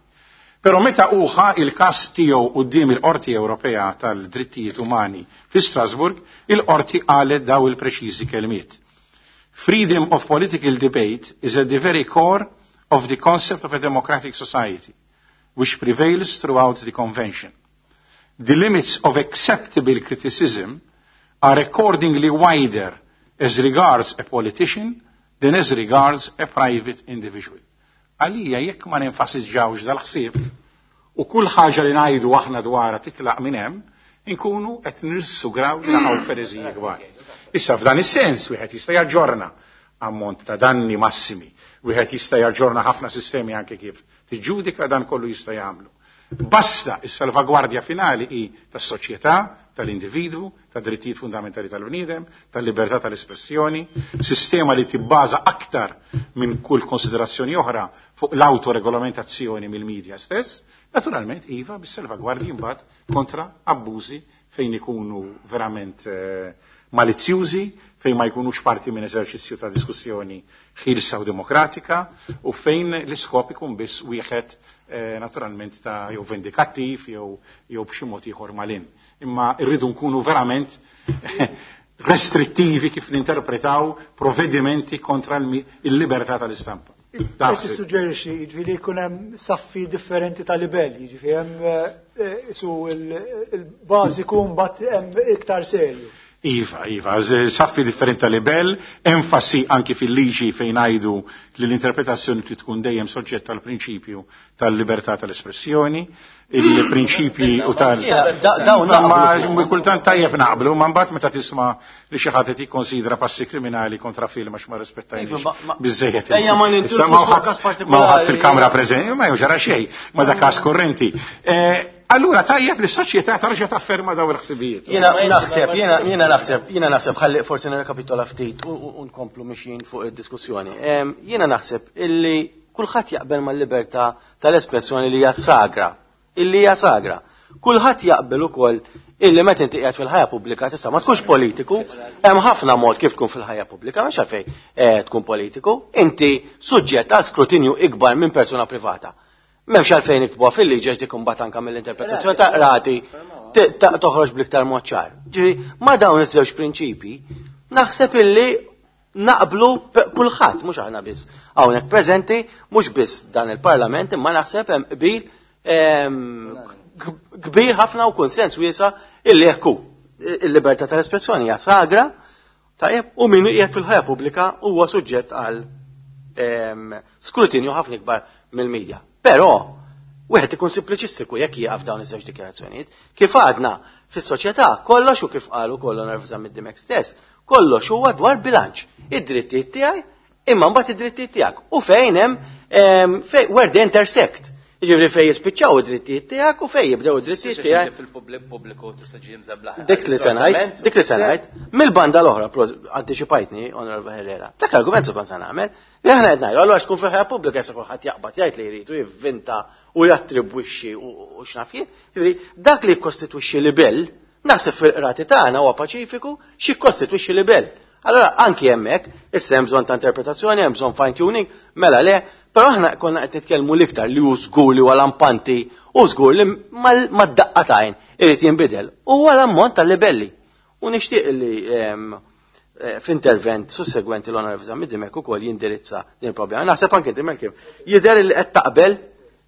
Speaker 2: Però meta uħa il-każ tiegħu quddiem il-Qorti Ewropea tal-Drittijiet Umani fi Strasburg, il-Qorti qalet daw il-preċiżi kelmiet. Freedom of political debate is at the very core of the concept of a democratic society, which prevails throughout the convention. The limits of acceptable criticism are accordingly wider as regards a politician than as regards a private individual. Għalija jekk ma nenfasizzawx dal-ħsieb u kull ħaġa li ngħidu aħna dwarha titlaq minn hemm, inkunu qed nissugraw li naqgħu f'ereżiji kbar. Issa f'dan is-sens wieħed jista' jaġġorna ammont ta' danni massimi, wieħed jista' jaġġorna ħafna sistemi anke kif tiġġudika dan kollu jista' jagħmlu. Basta is-salvagwardja finali hi tas-soċjetà, tal-individwu, ta' drittijiet fundamentali tal-bniedem, tal-libertà tal-espressjoni, sistema li tibbaża aktar minn kull konsiderazzjoni oħra fuq l-autoregolamentazzjoni mill-medja stess, naturalment iva bis-salvagwardji mbagħad kontra abbużi fejn ikunu verament eh, malizzjużi, fejn ma jkunux parti minn eżerċizzju ta' diskussjoni ħielsa u demokratika u fejn l-iskop ikun biss wieħed eh, naturalment ta' jew vendikattiv jew jew b'xi mod ieħor malin. Imma rridu nkunu verament restrittivi kif ninterpretaw provvedimenti kontra il-libertà tal-istampa.
Speaker 3: Qed tissuġġerixxi jiġifieri jkun hemm saffi differenti ta' livelli, jiġifieri hemm eh, su il-bażiku mbagħad hemm iktar serju.
Speaker 2: Iva, iva, saffi differenti ta' libell, enfasi anki fil-liġi fejn għajdu li l-interpretazzjoni trid tkun dejjem soġġetta għal prinċipju tal-libertà tal-espressjoni, il-prinċipji u tal- Ma kultant tajjeb naqblu, ma mbagħad meta tisma' li xi ħadd qed jikkonsidra passi kriminali kontra film għax ma rispettajniex biżejjed.
Speaker 1: Ejja ma
Speaker 2: nintilfux Ma ħadd fil-kamra preżenti, ma ġara xejn, ma da każ korrenti. Allura tajjeb li s-soċjetà tarġa' tafferma daw il-ħsibijiet.
Speaker 1: Jiena naħseb, jiena jiena naħseb, jiena naħseb ħalli forsi nirrekapitola ftit u nkomplu mixjin fuq id-diskussjoni. Jiena naħseb illi kulħadd jaqbel mal-libertà tal-espressjoni li hija sagra, illi hija sagra. Kulħadd jaqbel ukoll illi meta inti qiegħed fil-ħajja pubblika tista' ma tkunx politiku, hemm ħafna mod kif tkun fil-ħajja pubblika, mhux għalfejn tkun politiku, inti suġġett għal skrutinju ikbar minn persuna privata. M'hemmx għalfejn iktbuha fil-liġi għax dik imbagħad anke mill-interpretazzjoni ta' qrati toħroġ bl-iktar mod ċar. Ġifieri ma' dawn iż-żewġ prinċipji naħseb illi naqblu kulħadd, mhux aħna biss hawnhekk preżenti, mhux biss dan il-Parlament, imma naħseb hemm qbil kbir ħafna u konsens wiesa' illi hekk hu. Il-libertà tal-espressjoni hija sagra, tajjeb, u min qiegħed fil-ħajja pubblika huwa suġġett għal skrutinju ħafna ikbar mill-medja. Però wieħed ikun simpliċistiku jekk jieqaf dawn iż-żewġ dikjarazzjonijiet. Kif għadna fis-soċjetà kollox u kif qalu kollu Nervża mid-Dimek stess, kollox huwa dwar bilanċ. Id-drittijiet tiegħi imma mbagħad id-drittijiet tiegħek u fejn hemm where they intersect. Jiġifieri fejn jispiċċaw id-drittijiet tiegħek u fejn jibdew id-drittijiet tiegħek.
Speaker 4: Fil-pubbliku tista' ġie mżeblaħ.
Speaker 1: Dik li se ngħid, dik li se ngħid, mill-banda l-oħra antiċipajtni Onorevole Herrera. Dak l-argument se kont se nagħmel, li aħna qed ngħidu allura tkun fil-ħajja pubblika jista' kulħadd jaqbad jgħid li jrid u jivvinta u jattribwixxi u x'naf jien. Jiġifieri dak li jikkostitwixxi libell, naħseb fil-qrati tagħna huwa paċifiku x'jikkostitwixxi libell. Allora anki hemmhekk issa hemm bżonn ta' interpretazzjoni, hemm bżonn fine tuning, mela le, però aħna konna qed nitkellmu l-iktar li hu żgur li huwa lampanti u żgur li mad-daqqa tajn irid jinbidel. Huwa l-ammont tal-libelli. U nixtieq li f'intervent sussegwenti l-Onorevoli Zammit Dimech ukoll jindirizza din il-problema. Naħseb anke inti Melkim jidher li qed taqbel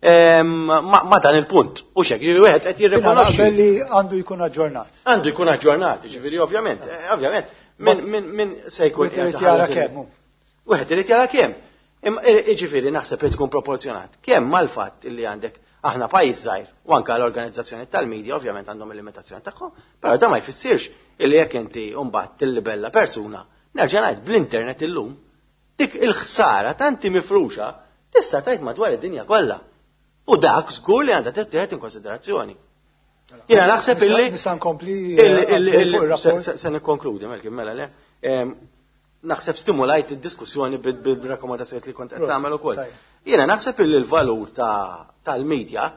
Speaker 1: ma' dan il-punt. U xek, jiġifieri wieħed qed jirrikonoxxi.
Speaker 3: Naqbel li għandu jkun aġġornat.
Speaker 1: Għandu jkun aġġornat, jiġifieri ovvjament, ovvjament. Min min min se jkun
Speaker 3: Wieħed irid jara kemm.
Speaker 1: Wieħed irid jara kemm. Imma jiġifieri naħseb li tkun proporzjonat. Kemm mal-fatt illi għandek aħna pajjiż żgħir u anke l-organizzazzjoni tal-medja ovvjament għandhom il-limitazzjoni tagħhom, però da ma jfissirx illi jekk inti mbagħad tillibella persuna, nerġa' ngħid bl-internet illum, dik il-ħsara tanti mifruxa tista' tgħid madwar id-dinja kollha. U dak żgur li għandha tittieħed in konsiderazzjoni. Jiena naħseb illi
Speaker 3: Nista' nkompli
Speaker 1: se nikkonkludi Melkim mela le. Naħseb stimulajt id-diskussjoni bil-rakkomandazzjoni li kont qed tagħmel ukoll. Jiena naħseb illi l-valur tal-medja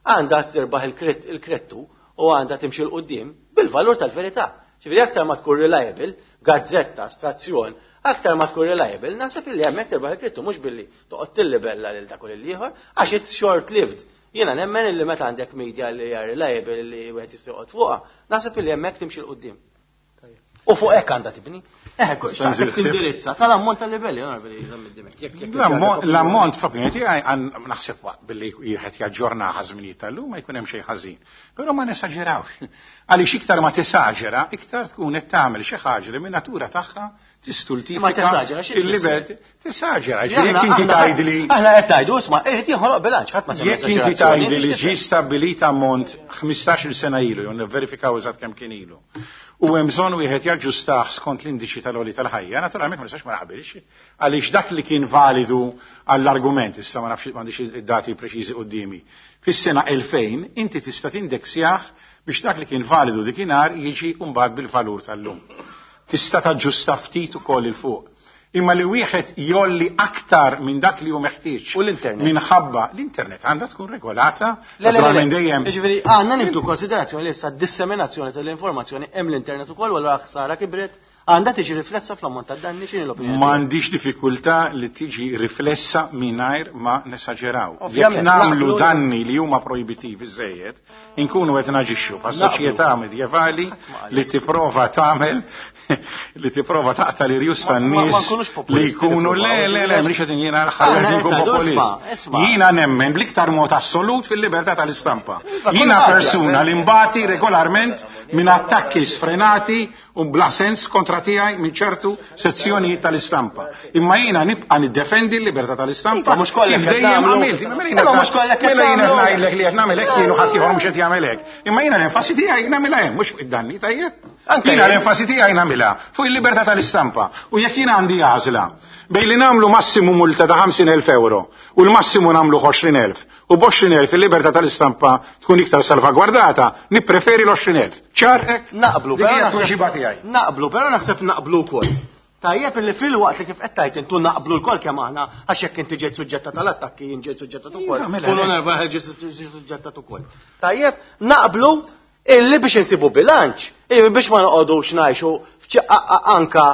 Speaker 1: għandha tirbaħ il-krettu u għandha timxi l quddiem bil-valur tal-verità. Ġifieri aktar ma tkun reliable, gazzetta, stazzjon, aktar ma tkun reliable, naħseb illi hemmhekk tirbaħ il-krettu mhux billi toqgħod tillibella lil dak u lil ieħor għax it's short lived. Jiena nemmen illi meta għandek media li hija reliable li wieħed jista' joqgħod fuqha, naħseb illi hemmhekk timxi l quddiem. U fuq hekk għandha tibni. Eh, tindirizza tal-ammont tal-livelli,
Speaker 2: L-ammont f'opinjoni tiegħi naħseb billi wieħed jaġġorna ħażminijiet tal-lum ma jkun hemm xejn ħażin. Però ma nesaġerawx. Għaliex iktar ma tesaġera, iktar tkun qed tagħmel xi ħaġa li minn natura tagħha tistultifika.
Speaker 1: Ma tesaġera xi
Speaker 2: il-liberti. Tesaġera, jekk inti tgħidli.
Speaker 1: Aħna qed tgħidu isma' irid jinħoloq bilanċ, ħadd ma
Speaker 2: semma. Jekk inti tgħidli li ġie stabbilit ammont ħmistax-il sena ilu, jew nivverifikaw eżatt kemm kien ilu. U hemm bżonn wieħed jaġġustah skont l-indiċi tal-għoli tal-ħajja, naturalment ma nistax ma naqbilx, għaliex dak li kien validu għall-argument, issa ma nafx m'għandix id-dati preċiżi quddiemi. Fis-sena elfejn inti tista' tindeksjah biex dak li kien validu dikinhar jiġi mbagħad bil-valur tal-lum. Tista' taġġusta ftit ukoll il fuq. Imma li wieħed jolli aktar minn dak li hu meħtieġ.
Speaker 1: U l-internet.
Speaker 2: Minħabba l-internet għandha tkun regolata.
Speaker 1: Le, le, le, le.
Speaker 2: Naturalment dejjem.
Speaker 1: Jiġifieri għandna nieħdu konsiderazzjoni li issa disseminazzjoni tal-informazzjoni hemm l-internet ukoll u allura ħsara kibret għandha tiġi riflessa fl-ammont tad-danni. X'inhi l-opinjoni?
Speaker 2: M'għandix diffikultà li tiġi riflessa mingħajr ma nesaġeraw. Jekk
Speaker 1: Ovvjament,
Speaker 2: nagħmlu
Speaker 1: naqblu-
Speaker 2: danni li huma projbitivi żejjed, inkunu qed naġixxu bħal
Speaker 1: Naqblu.
Speaker 2: soċjetà medjevali li tipprova tagħmel li tipprova taqta' l-irjus
Speaker 1: Ma- ma- ma
Speaker 2: tan-nies
Speaker 1: nkunux
Speaker 2: li
Speaker 1: populisti
Speaker 2: jkunu le
Speaker 1: nippruvaw,
Speaker 2: le le mhix qed jiena
Speaker 1: Ah,
Speaker 2: ħalli
Speaker 1: le,
Speaker 2: nkun
Speaker 1: tajdu,
Speaker 2: populist.
Speaker 1: isma', isma'.
Speaker 2: Jiena nemmen bl-iktar mod assolut fil-libertà tal-istampa.
Speaker 1: Iva,
Speaker 2: Jiena
Speaker 1: kulħadd
Speaker 2: persuna
Speaker 1: jaqbel.
Speaker 2: li mbati regolarment minn attakki sfrenati u bla sens kontra tiegħi minn ċertu sezzjonijiet tal-istampa. Imma jiena nibqa' niddefendi l-libertà tal-istampa.
Speaker 1: Iva, mhux kollha
Speaker 2: kif
Speaker 1: qed
Speaker 2: dejjem
Speaker 1: nagħmlu.
Speaker 2: għamilt. Imma mela jiena
Speaker 1: Imma mhux kollha qed
Speaker 2: mela jiena
Speaker 1: nagħmlu.
Speaker 2: ngħidlek li qed nagħmel hekk jien u ħadd ieħor mhux qed jagħmel hekk. Imma jiena l-enfasi tiegħi nagħmilha hemm mhux fuq id-danni tajjeb.
Speaker 1: Anke
Speaker 2: Jiena
Speaker 1: jien.
Speaker 2: l-enfasi tiegħi nagħmilha fuq il-libertà tal-istampa. U jekk jiena għandi għażla bejn li nagħmlu massimu multa ta' ħamsin elf euro u l-massimu nagħmlu għoxrin elf u b'għoxrin elf il-libertà tal-istampa tkun iktar salvagwardata, nippreferi l-għoxrin elf. Ċar hekk?
Speaker 1: Naqblu,
Speaker 2: Dik
Speaker 1: però
Speaker 2: hija
Speaker 1: naħseb-
Speaker 2: t-tweġiba tiegħi.
Speaker 1: Naqblu, però naħseb naqblu wkoll. Tajjeb li fil-waqt li kif qed tgħid intu naqblu lkoll kemm aħna għax jekk inti ġejt suġġetta tal-attakki jien ġejt suġġettat ukoll.
Speaker 2: Iva, mela
Speaker 1: U
Speaker 2: le.
Speaker 1: l-onorevoli ġiet suġġettat ukoll. Tajjeb, naqblu illi biex insibu bilanċ, illi biex ma noqogħdux ngħixu f'ċi- a- a- anka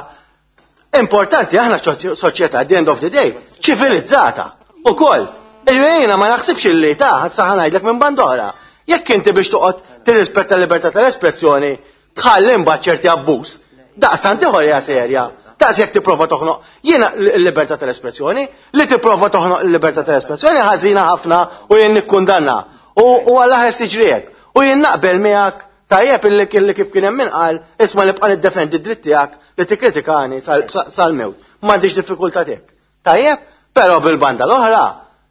Speaker 1: importanti aħna soċ- soċjetà at the end of the day ċivilizzata ukoll. Jiena ma naħsibx illi ta' saħ ngħidlek minn bandora. Jekk inti biex toqgħod tirrispetta l-libertà tal-espressjoni tħalli imbagħad ċerti abbuż, daqstant ieħor hija serja. Daqs jekk tipprova toħnoq. Jiena l-libertà tal-espressjoni, li tipprova toħnoq l-libertà tal-espressjoni ħażina ħafna u jien nikkundanna. U u Alla ħares tiġri hekk. U jien naqbel miegħek tajjeb illi illi kif kien hemm min qal isma' nibqa' niddefendi d-dritt tiegħek li tikkritikani sal- sal-mewt. M'għandix diffikultà tiegħek. Tajjeb, però bil-banda l-oħra,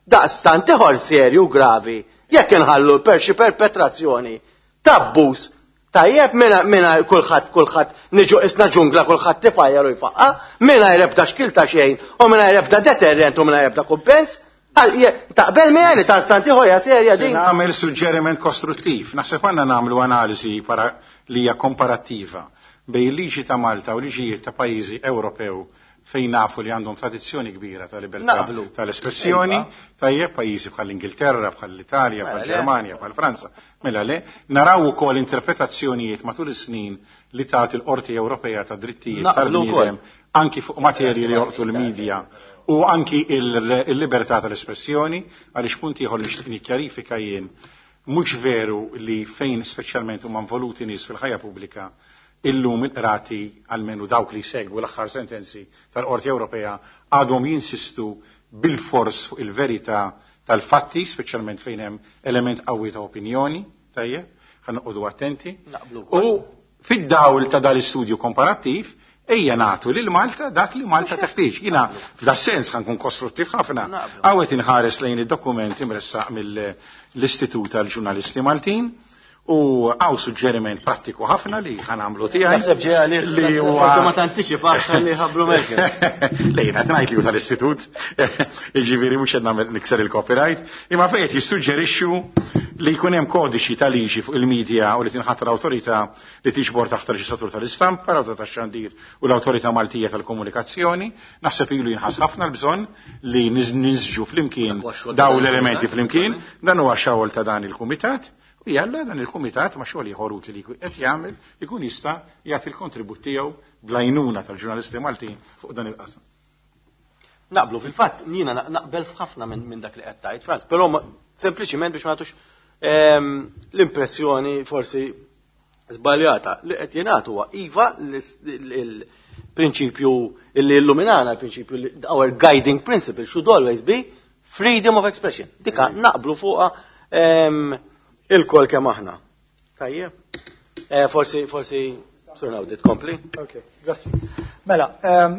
Speaker 1: daqstant ieħor serju gravi jekk inħallu per xi perpetrazzjoni t'abbuż tajjeb minna minna kulħadd kulħadd niġu isna ġungla kulħadd tifajjar u jfaqqa, mingħajr ebda xkil ta' xejn u mingħajr ebda deterrent u mingħajr ebda kumpens. Għal- je- Taqbel miegħi li daqstant ieħor hija serja
Speaker 2: Se
Speaker 1: din.
Speaker 2: nagħmel suġġeriment kostruttiv. Naħseb għandna nagħmlu analiżi para- li hija komparattiva bejn il-liġi ta' Malta u liġijiet ta' pajjiżi Ewropew fejn nafu li għandhom tradizzjoni kbira ta' libertà
Speaker 1: Naqblu.
Speaker 2: tal-espressjoni,
Speaker 1: Iva.
Speaker 2: tajjeb pajjiżi bħal l-Ingilterra, bħal l-Italja,
Speaker 1: Mela
Speaker 2: bħal
Speaker 1: le.
Speaker 2: Ġermanja, bħal Franza. Mela le, naraw ukoll interpretazzjonijiet matul is-snin li tagħti l-Qorti Ewropea ta' Drittijiet
Speaker 1: Naqblu
Speaker 2: tal-bniedem
Speaker 1: wkoll.
Speaker 2: anki fuq materji li joqtu l-medja u anki il- il-libertà tal-espressjoni, għaliex punt ieħor li nixtieq nikkjarifika jien, mhux veru li fejn speċjalment huma involuti nies fil-ħajja pubblika illum il-qrati almenu dawk li segwu l-aħħar sentenzi tal-Qorti Ewropea għadhom jinsistu bil-fors fuq il-verità tal-fatti, speċjalment fejn hemm element qawwi ta' opinjoni, tajjeb, ħa noqogħdu attenti.
Speaker 1: Naqblu wkoll.
Speaker 2: U fid-dawl ta' dal-istudju komparattiv, ejja nagħtu lil Malta dak li Malta teħtieġ. Jiena f'da sens ħa nkun kostruttiv ħafna.
Speaker 1: Naqblu.
Speaker 2: Hawn qed inħares lejn id-dokument imressaq mill-Istitut tal-Ġurnalisti Maltin u hawn suġġeriment prattiku ħafna li ħa nagħmlu tiegħi.
Speaker 1: Naħseb ġej għalih
Speaker 2: li huwa
Speaker 1: forsi ma tantiċipax ħalli ħabbru Merkel.
Speaker 2: Le, jiena qed ngħid li hu tal-istitut, jiġifieri mhux qed nagħmel nikser il-copyright, imma fejn qed jissuġġerixxu li jkun hemm kodiċi ta' liġi fuq il-medja u li tinħatar awtorità li tiġbor taħt il-reġistratur tal-istampa, l-awtorità tax-xandir u l-awtorità Maltija tal-komunikazzjoni. Naħseb ilu jinħass ħafna l-bżonn li niż- niżġu flimkien
Speaker 1: Dak huwa x-xogħol
Speaker 2: daw
Speaker 1: ta' dan
Speaker 2: l-elementi
Speaker 1: il-kumitat.
Speaker 2: flimkien, dan huwa xogħol ta' dan il-kumitat. U jalla dan il-kumitat ma' xogħol ieħor utli li qed jagħmel ikun jista' jagħti l-kontribut tiegħu bl-għajnuna tal-ġurnalisti Maltin fuq dan il-qasam.
Speaker 1: Naqblu fil-fatt jiena na- naqbel f'ħafna minn min dak li qed tgħid Franz, però ma- sempliċiment biex ma nagħtux ehm, l-impressjoni forsi żbaljata li qed jingħad huwa iva l-prinċipju li illuminana l-prinċipju li our guiding principle should always be freedom of expression. Dika naqblu fuqha ehm, il-kol kemm aħna. Tajjeb. Eh, Forsi forsi Sur Nawdi tkompli.
Speaker 3: Ok, grazzi. Mela, ehm,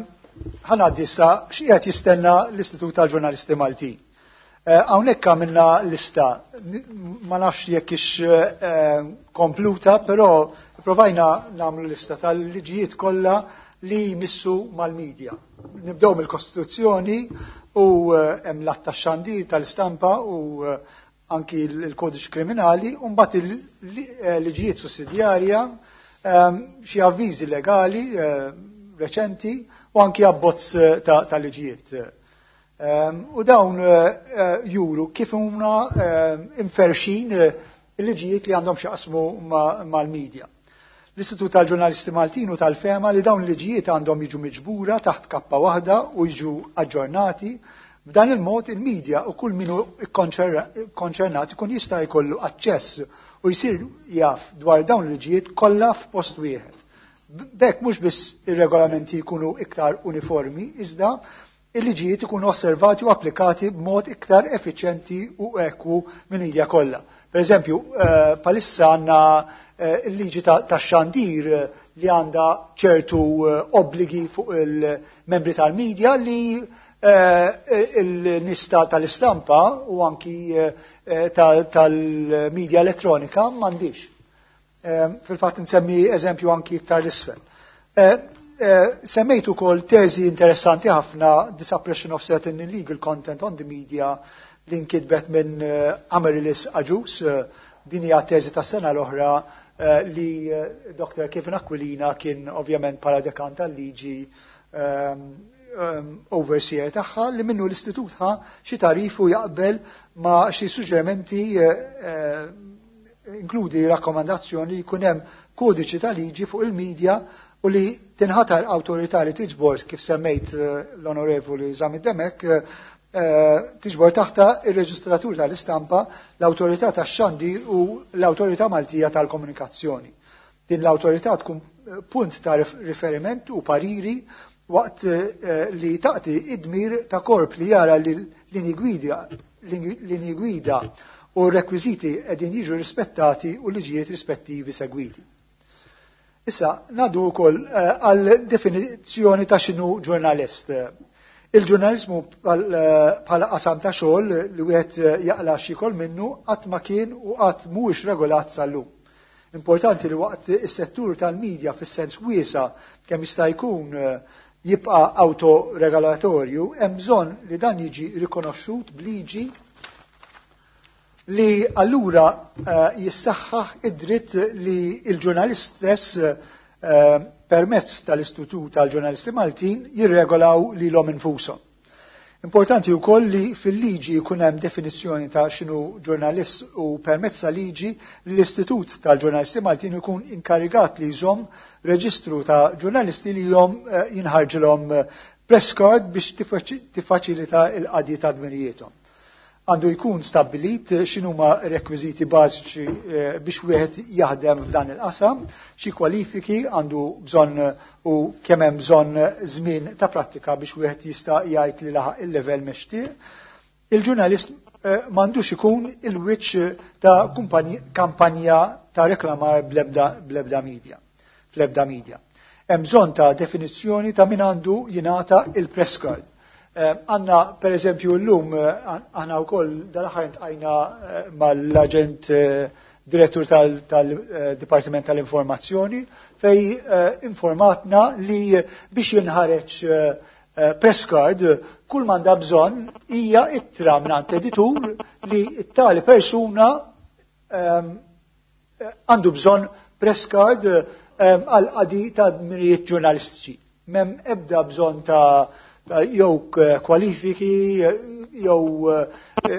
Speaker 3: ħa ngħaddi issa x'qiegħed jistenna l-Istitut tal-Ġurnalisti Maltin. Eh, Hawnhekk għamilna lista, N- ma nafx jekk ix eh, kompluta, però provajna nagħmlu lista tal-liġijiet kollha li jmissu mal-medja. Nibdew mill-Kostituzzjoni u eh, hemm l-att tax-xandir tal-istampa u eh, anki l-kodiċ kriminali, u mbagħad il-liġijiet sussidjarja, ehm, xi avviżi legali, eh, reċenti u anki abbozz ta' liġijiet. U dawn juru kif huma imferxin il-liġijiet li għandhom x'jaqsmu mal-medja. L-Istitut tal-Ġurnalisti Maltin u tal-Fema li dawn il-liġijiet għandhom jiġu miġbura taħt kappa waħda u jiġu aġġornati. B'dan il-mod il-medja u kull min hu konċernat ikun jista' jkollu aċċess u jsir jaf dwar dawn il-liġijiet kollha f'post wieħed. B'hekk mhux biss ir-regolamenti jkunu iktar uniformi, iżda il-liġijiet ikunu osservati u applikati b'mod iktar effiċjenti u ekwu mill-medja kollha. Per eżempju, palissa għandna il-liġi tax-xandir li għandha ċertu obbligi fuq il-membri tal-medja li il-nista tal-istampa u anki tal-medja elettronika m'għandix. Fil-fatt nsemmi eżempju anki iktar l-isfel. Semmejt ukoll teżi interessanti ħafna, The Suppression of Certain Illegal Content on the Media, li nkitbet minn Amaryllis Agius. Din hija teżi tas sena l-oħra li Doktor Kevin Aquilina kien ovvjament bħala dekan tal-liġi overseer tagħha, li minnu l-istitut ħa xi tarif u jaqbel ma' xi suġġerimenti, inkludi rakkomandazzjoni li jkun hemm kodiċi ta' liġi fuq il-medja u li tinħatar awtorità li tiġbor, kif semmejt l-Onorevoli Zammit Dimech, tiġbor taħta ir-reġistratur tal-istampa, l-awtorità tax-xandir u l-awtorità Maltija tal-komunikazzjoni. Din l-awtorità tkun punt ta' riferiment u pariri waqt li taqti id-dmir ta' korp li jara li l-linji gwida u r-rekwiżiti qegħdin jiġu rispettati u liġijiet rispettivi segwiti. Issa, nadu wkoll għal definizzjoni ta' x'inhu ġurnalist. Il-ġurnalizmu bħala qasam ta' xogħol li wieħed jaqla x'ikol minnu qatt ma kien u qatt mhuwiex regolat sal-lum. Importanti li waqt is-settur tal-medja fis-sens wiesa' kemm jista' jkun jibqa' autoregolatorju, hemm bżonn li dan jiġi rikonoxxut b'liġi li allura jissaħħaħ id-dritt li l-ġurnalist stess permezz tal-Istitut tal-Ġurnalisti Maltin jirregolaw lilhom infushom. Importanti wkoll li fil-liġi jkun hemm definizzjoni ta' x'inhu ġurnalist u permezz ta' liġi l-Istitut tal-Ġurnalisti Maltin ikun inkarigat li jżomm reġistru ta' ġurnalisti li jom jinħarġilhom press card biex tiffaċilita l-qadi ta' dmirijiethom. Għandu jkun stabbilit x'inhuma rekwiżiti bażiċi biex wieħed jaħdem f'dan il-qasam, xi kwalifiki għandu bżonn u kemm hemm bżonn żmien ta' prattika biex wieħed jista' jgħid li laħaq il-level mextieq. Il-ġurnalist m'għandux ikun il-wiċċ ta' kampanja ta' reklamar bl-ebda media, fl-ebda media. Hemm bżonn ta' definizzjoni ta' min għandu jingħata il-press card. Għanna, per eżempju, l-lum, għanna u koll dal-aħħar intqajna mal-aġent direttur tal-Dipartiment tal-Informazzjoni fej informatna li biex jinħareġ press card kull m'għandha bżonn hija ittra mingħand editur li t-tali persuna għandu bżonn press card għal qadi ta' dmirijiet ġurnalistiċi. M'hemm ebda bżonn ta' jew kwalifiki jew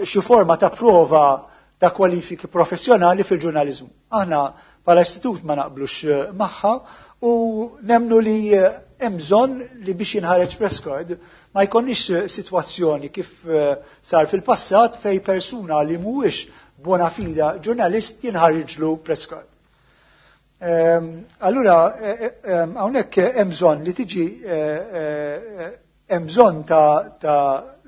Speaker 3: xi forma ta' prova ta' kwalifiki professjonali fil-ġurnaliżmu. Aħna bħala istitut ma naqblux magħha u nemnu li hemm bżonn li biex jinħareġ press card ma jkollniex sitwazzjoni kif sar fil-passat fej persuna li mhuwiex bona fida ġurnalist jinħarġlu press card. Allura hawnhekk hemm bżonn li tiġi hemm bżonn ta'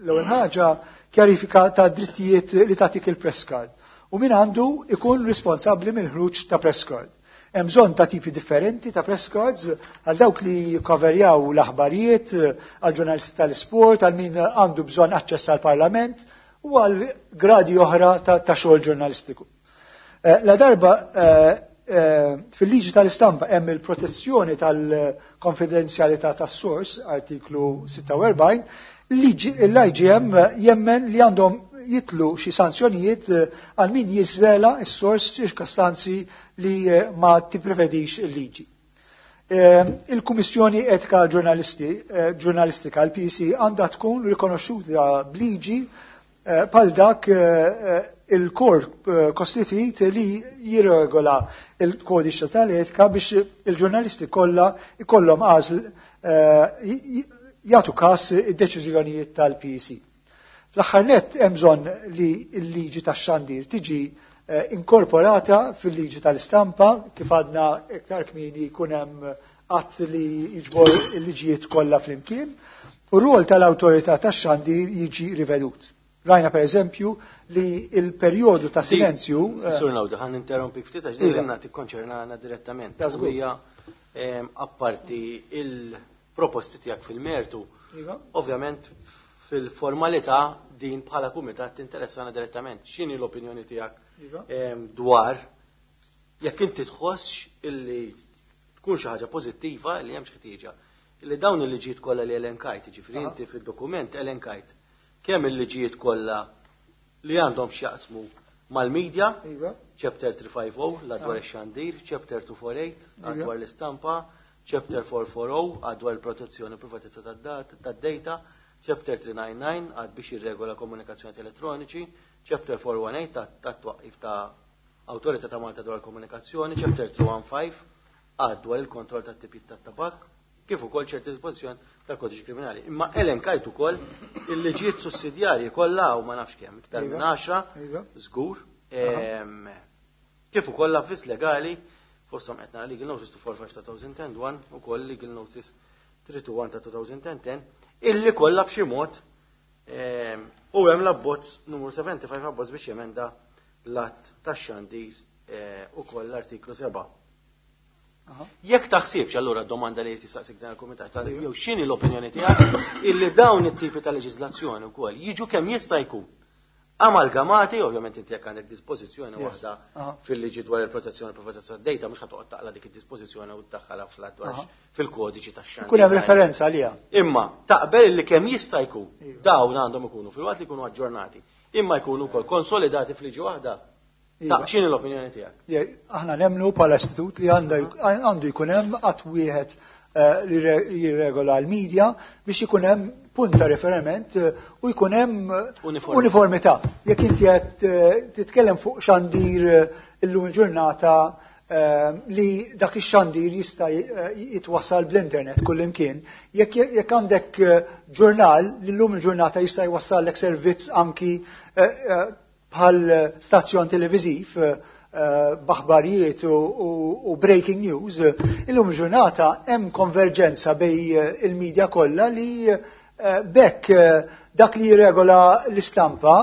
Speaker 3: l-ewwel ħaġa kjarifika ta' drittijiet li tagħtik il-press card u min għandu ikun responsabbli mill-ħruġ ta' press card. Hemm bżonn ta' tipi differenti ta' press cards għal dawk li jikkoverjaw l-aħbarijiet, għal ġurnalisti tal-isport, għal min għandu bżonn aċċess għall parlament u għal gradi oħra ta' xogħol ġurnalistiku. La darba fil-liġi tal-istampa hemm il-protezzjoni tal-konfidenzjalità tas-sors, artiklu sitta u erbgħin, l-I G M jemmen li għandhom jitlu xi sanzjonijiet għal min jiżvela s-sors ċirkostanzi li ma tipprevedix il-liġi. Il-Kummissjoni Etika Ġurnalisti, Ġurnalistika, l-P C, għandha tkun rikonoxxuta bliġi bħal dak il-korp kostituit li jirregola il-kodiċi tal-etika biex il-ġurnalisti kollha ikollhom għażl jagħtu każ id-deċiżjonijiet tal-P E C. Fl-aħħar nett, hemm bżonn li l-liġi tax-xandir tiġi inkorporata fil-liġi tal-istampa, kif għadna iktar kmieni, jkun hemm att li jiġbor il-liġijiet kollha flimkien u r-rol tal-awtorità tax-xandir jiġi rivedut. Rajna, per eżempju, li il-perjodu ta' silenzju.
Speaker 1: Sur Naudi, ħa ninterrompik ftit għax din l tikkonċernana direttament. Hija apparti il-proposti tiegħek fil-mertu.
Speaker 3: Iva.
Speaker 1: Ovvjament fil-formalità din bħala kumitat tinteressana direttament. X'inhi l-opinjoni tiegħek
Speaker 3: Iva.
Speaker 1: dwar jekk inti tħossx illi tkun xi ħaġa pożittiva li hemm xi illi dawn il-liġijiet kollha li elenkajt, jiġifieri inti fid-dokument elenkajt kemm il-liġijiet kollha li għandhom x'jaqsmu mal-medja,
Speaker 3: Iva.
Speaker 1: chapter tlieta ħamsa żero l-dwar ix-xandir, chapter tmienja tlieta tlieta
Speaker 3: Iva.
Speaker 1: dwar l-istampa, chapter erba' tlieta żero dwar il-protezzjoni u privatezza tad-data, chapter tlieta tnejn disa' għad biex jirregola komunikazzjoni elettroniċi, chapter erba' wieħed tmien ta' twaqqif ta' Awtorità ta' Malta dwar komunikazzjoni, chapter tlieta wieħed ħamsa għad dwar il-kontroll tat tipi tat tabak, kif ukoll ċerti dispożizzjoni tal-kodiċi kriminali. Imma elenkajt ukoll il-liġijiet sussidjarji kollha, u ma nafx kemm, iktar minn
Speaker 3: Iva.
Speaker 1: għaxra,
Speaker 3: Iva.
Speaker 1: żgur, ehm, kif ukoll l-avviż legali, fosthom qed nara Legal Notice tlieta tlieta ħamsa ta' elfejn u wieħed ukoll Legal Notice tlieta wieħed ta' elfejn u għaxra, illi kollha b'xi mod ehm, u hemm l-abbozz numru sebgħa u sebgħin, abbozz biex jemenda l-att tax-xandir eh, ukoll l-artiklu sebgħa.
Speaker 3: Aha.
Speaker 1: Jekk taħsibx allura, domanda li tistaqsik dan il-kumitat, jew x'inhi l-opinjoni tiegħek illi dawn it-tipi ta' leġiżlazzjoni wkoll jiġu kemm jista' jkun amalgamati? Ovvjament inti jekk għandek dispożizzjoni
Speaker 3: Yes.
Speaker 1: waħda
Speaker 3: Aha.
Speaker 1: fil-liġi dwar il-protezzjoni u privatezza tad-data, mhux ħa toqgħod taqla dik id-dispożizzjoni u tdaħħalha fl-dwar
Speaker 3: Aha.
Speaker 1: fil-kodiċi tax-xandir.
Speaker 3: Ikun hemm referenza għaliha.
Speaker 1: Imma taqbel li kemm jista' jkun
Speaker 3: Iva.
Speaker 1: dawn għandhom ikunu, fil-waqt li jkunu aġġornati, imma jkunu wkoll konsolidati f'liġi waħda?
Speaker 3: Iva.
Speaker 1: Ta' x'inhi l-opinjoni tiegħek?
Speaker 3: Je, aħna nemmnu bħala istitut li għanda- għandu jkun hemm att wieħed eh, li re- jirregola l-medja biex ikun hemm punt ta' riferiment eh, u jkun hemm eh,
Speaker 1: Uniformità.
Speaker 3: uniformità. Jekk inti qed eh, titkellem fuq xandir eh, illum il-ġurnata eh, li dak ix-xandir jista' eh, jitwassal bl-internet kullimkien. Jekk jekk għandek eh, ġurnal li llum il-ġurnata jista' jwassallek servizz anki eh, eh, bħal stazzjon televiżiv eh, eh, b'aħbarijiet u, u, u breaking news, eh, illum il-ġurnata hemm konverġenza bejn eh, il-medja kollha li eh, bekk eh, dak li jirregola l-istampa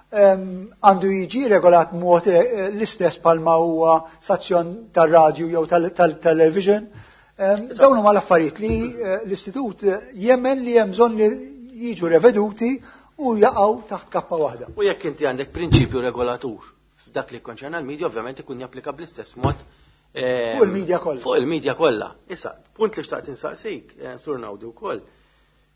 Speaker 3: em, għandu jiġi regolat mod eh, l-istess bħalma huwa stazzjon tar-radju jew tal-television. Em, Dawn huma l-affarijiet li eh, l-istitut jemmen li hemm bżonn li jiġu reveduti u jaqgħu taħt kappa waħda.
Speaker 1: U jekk inti għandek prinċipju regolatur f'dak li konċerna l-medja, ovvjament ikun japplika bl-istess mod eh,
Speaker 3: Fuq il-medja kollha.
Speaker 1: Fuq il-medja kollha. Issa, punt li xtaqt insaqsik, eh, Sur Naudi wkoll.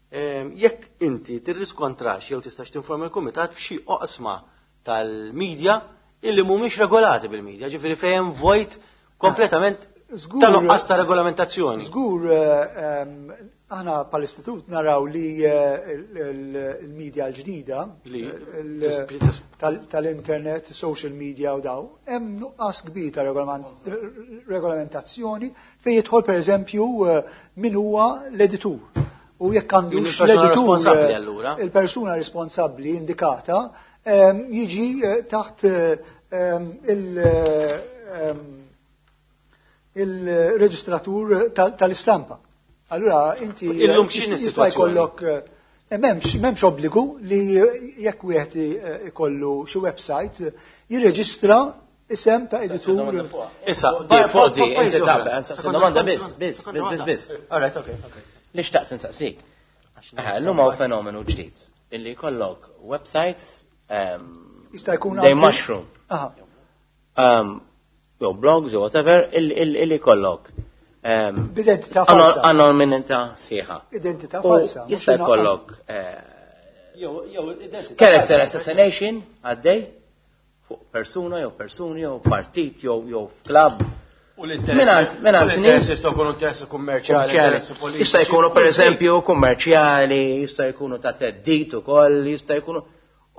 Speaker 1: Eh, Jekk inti tirriskontrax jew tistax tinforma l-kumitat b'xi oqsma tal-medja illi mhumiex regolati bil-medja, ġifieri fejn hemm vojt kompletament
Speaker 3: Żgur-
Speaker 1: ta' nuqqas ta' regolamentazzjoni.
Speaker 3: Żgur, eh, em, aħna pal-istitut naraw li eh, il- il- il-medja l-ġdida
Speaker 1: Li
Speaker 3: il- tal- tal-internet, social media u daw, hemm nuqqas kbir ta' regolament- regolamentazzjoni fejn jidħol, pereżempju, eh, min huwa l-editur. U jekk
Speaker 1: Min
Speaker 3: għandux
Speaker 1: il-persuna
Speaker 3: l-editur
Speaker 1: responsabbli
Speaker 3: eh,
Speaker 1: allura?
Speaker 3: il-persuna responsabbli indikata em, jiġi eh, taħt eh, em, il- eh, em, il-reġistratur tal- tal-istampa. Allura inti
Speaker 1: Illum x'inhi
Speaker 3: jista'
Speaker 1: s-sitwazzjoni?
Speaker 3: jkollok eh, m'hemmx m'hemmx obbligu li jekk wieħed eh, ikollu xi website eh, jirreġistra isem ta' editur.
Speaker 1: Issa,
Speaker 4: Di, fuq di, inti taqbel, nsaqsi domanda biss, biss, biss, biss, biss.
Speaker 1: All right, okay, okay.
Speaker 4: Li xtaqt nsaqsik. Eh, Illum hawn fenomenu ġdid illi jkollok websites um,
Speaker 3: Jista' jkun
Speaker 4: they
Speaker 3: anki-
Speaker 4: mushroom.
Speaker 3: Aha.
Speaker 4: Um, jew blogs jew whatever illi illi- illi jkollok um,
Speaker 3: B'identità falsa.
Speaker 4: anonimità sħiħa.
Speaker 3: Identità
Speaker 4: U
Speaker 3: falsa. Mhux
Speaker 4: jista'
Speaker 3: jingħaqad.
Speaker 4: jkollok eh,
Speaker 1: Jew jew identità
Speaker 4: character assassination għaddej fuq persuna jew persuni jew partit jew jew club.
Speaker 1: U l-interess.
Speaker 4: Mingħand nies
Speaker 1: jistgħu jkunu interessi kummerċjali, interessi politiċi.
Speaker 4: Jista' jkunu pereżempju kummerċjali, jista' jkunu ta' theddid ukoll, jista' jkunu.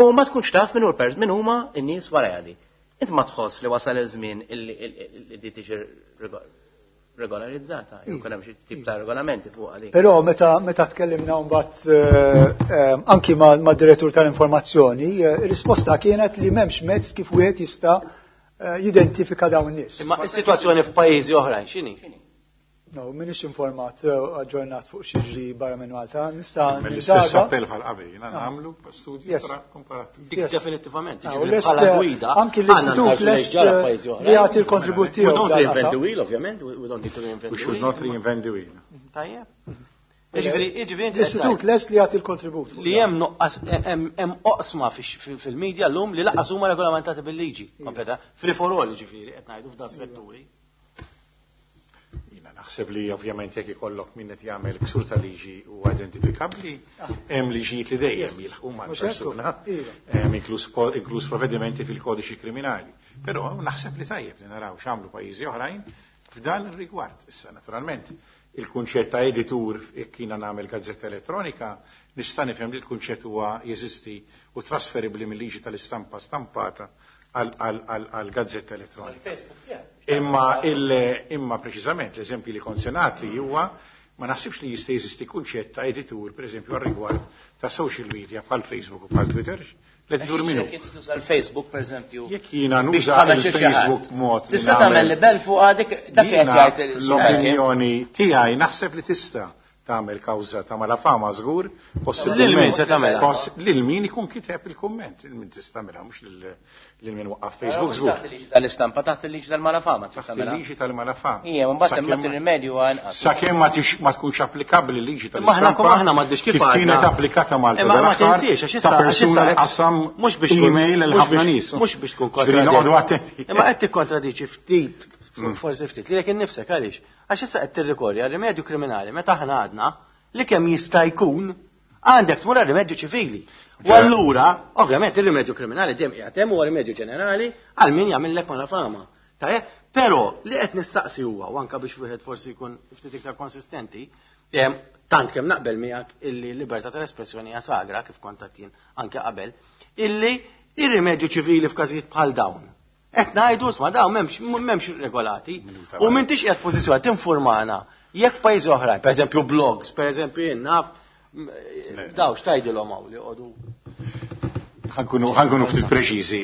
Speaker 4: U ma tkunx taf min hu l-pers, min huma n-nies wara jadi. Int ma tħoss li wasal iż-żmien illi di tiġi regolarizzata, jew hemm xi tip ta' regolamenti fuq għalik.
Speaker 3: Però meta meta tkellimna mbagħad eh, eh, anki mad-direttur tal-informazzjoni, eh, ir-risposta kienet li m'hemmx mezz kif wieħed jista' jidentifika dawn in-nies.
Speaker 1: Imma is-sitwazzjoni f'pajjiżi oħrajn x'inhi?
Speaker 3: No, minix informat aġġornat fuq x'jiġri barra minn Malta. Nista'
Speaker 2: L-istess appell bħal qabel, jiena nagħmlu studju komparattiv.
Speaker 1: Dik definittivament, jiġifieri bħala gwida.
Speaker 3: Anki l-istitut lest li jagħti l-kontribut tiegħu.
Speaker 1: We don't reinvent the wheel, ovvjament, we don't need to reinvent the wheel.
Speaker 2: We should not reinvent the wheel.
Speaker 1: Tajjeb. Jiġifieri, jiġifieri
Speaker 3: L-istitut lest li jagħti l-kontribut.
Speaker 1: Li hemm nuqqas hemm oqsma fil-medja llum li lanqas huma regolamentati bil-liġi kompleta. Free for all, jiġifieri, qed ngħidu f'dan setturi.
Speaker 2: Naħseb li ovvjament jekk ikollok min qed jagħmel ksur ta' liġi u identifikabbli, hemm liġijiet li dejjem jilħqu mal-persuna, inkluż provvedimenti fil-kodiċi kriminali. Però naħseb li tajjeb li naraw x'għamlu pajjiżi oħrajn f'dan ir-rigward. Issa naturalment il-kunċett ta' editur jekk jiena nagħmel gazzetta elettronika, nista' nifhem li l-kunċett huwa jeżisti u trasferibbli mill-liġi tal-istampa stampata għal gazzetta elettronika. Imma imma preċiżament l-eżempju li konsenati huwa ma naħsibx li jista' jeżisti kunċett ta' editur, pereżempju għal rigward ta' social media bħal Facebook u bħal Twitter. L-editur minnu.
Speaker 4: Jekk inti tuża l-Facebook pereżempju.
Speaker 2: Jekk jiena nuża l-Facebook mod.
Speaker 4: Tista' tagħmel libel fuq għadik dak qed jgħid
Speaker 2: l-opinjoni tiegħi naħseb li tista' tagħmel kawża ta' malafama żgur,
Speaker 1: possibilment. Lil min se tagħmilha?
Speaker 2: Lil min ikun kiteb il-kumment, lil min tista' tagħmilha mhux lil min waqqaf Facebook żgur.
Speaker 4: Taħt il-liġi tal-istampa, taħt il-liġi tal-malafama.
Speaker 2: Taħt il-liġi tal-malafama.
Speaker 4: Ija, mbagħad imma tirrimedju anqas.
Speaker 2: Sakemm ma tkunx applikabbli l-liġi tal-istampa.
Speaker 1: Aħna kom aħna m'għaddix kif
Speaker 2: kienet applikata Malta.
Speaker 1: Imma ma tinsiex għax issa
Speaker 2: persuna qasam mhux biex email lil ħafna nies.
Speaker 1: Mhux biex tkun kontradiċi. Imma qed tikkontradiċi ftit, forsi ftit, lilek innifsek għaliex. Għax issa qed tirrikorri għal rimedju kriminali meta aħna għadna li kemm jista' jkun għandek tmur għal rimedju ċivili. U allura, ovvjament, ir-rimedju kriminali dejjem qiegħed hemm huwa rimedju ġenerali għal min jagħmillek malafama. Tajjeb, però li qed nistaqsi huwa u anke biex wieħed forsi jkun ftit iktar konsistenti, tant kemm naqbel miegħek illi l-libertà tal-espressjoni hija sagra kif kont għedt jien anke qabel, illi ir-rimedju ċivili f'każijiet bħal dawn. Qed ngħidu isma' dawn m'hemmx m'hemmx regolati. U m'intix qiegħed f'pożizzjoni tinformana jekk f'pajjiżi oħrajn, pereżempju blogs, pereżempju jien naf daw x'tgħidilhom hawn li joqogħdu.
Speaker 2: Ħankunu ftit preċiżi.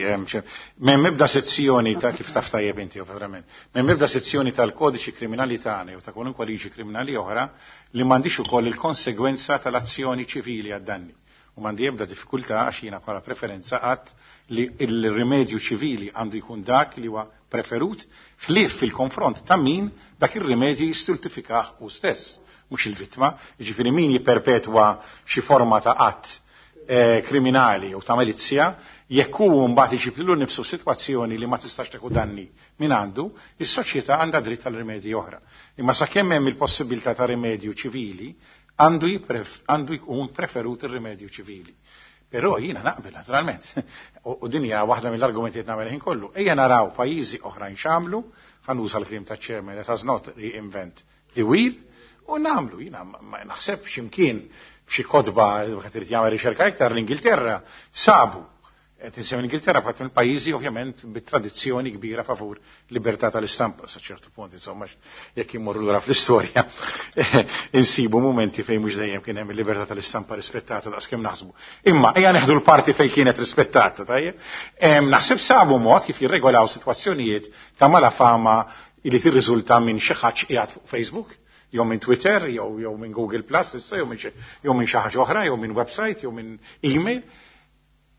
Speaker 2: M'hemm ebda sezzjoni ta' kif taf tajjeb inti ovvjament. M'hemm ebda sezzjoni tal-kodiċi kriminali tagħna jew ta' kwalunkwe liġi kriminali oħra li m'għandix ukoll il-konsegwenza tal-azzjoni ċivili għad-danni. U m'għandi ebda diffikultà għax jiena bħala preferenza qatt li l-rimedju ċivili għandu jkun dak li huwa preferut ħlief fil-konfront ta' min dak ir-rimedju jistultifikah hu stess, mhux il-vittma, jiġifieri min jipperpetwa xi forma ta' att kriminali u ta' malizja, jekk hu mbagħad iġib lilu nnifsu sitwazzjoni li ma tistax tieħu danni min għandu, is-soċjetà għandha dritt għal rimedji oħra. Imma sakemm hemm il-possibilità ta' rimedju ċivili, għandu jkun preferut ir-rimedju ċivili. Però jiena naqbel naturalment. U din hija waħda mill-argumenti qed nagħmel ħin kollu. Ejja naraw pajjiżi oħrajn x'għamlu, ħanuża l-kliem taċ-chairman, let us not reinvent the wheel, u nagħmlu. Jiena ma naħseb x'imkien f'xi kotba qed irid jagħmel riċerka iktar l-Ingilterra sabu. Qed insemmi l-Ingilterra bħal mill-pajjiżi ovvjament bit-tradizzjoni kbira favur libertà tal-istampa sa ċertu punt, insomma, jekk immorru lura fl-istorja insibu mumenti fejn mhux dejjem kien hemm il-libertà tal-istampa rispettata daqskemm naħsbu. Imma ejja neħdu l-parti fejn kienet rispettata, tajjeb. Naħseb sabu mod kif jirregolaw sitwazzjonijiet ta' malafama li tirriżulta minn xi ħadd qiegħed fuq Facebook, jew minn Twitter, jew jew minn Google Plus, issa jew minn jew minn xi ħaġa oħra, jew minn website, jew minn email.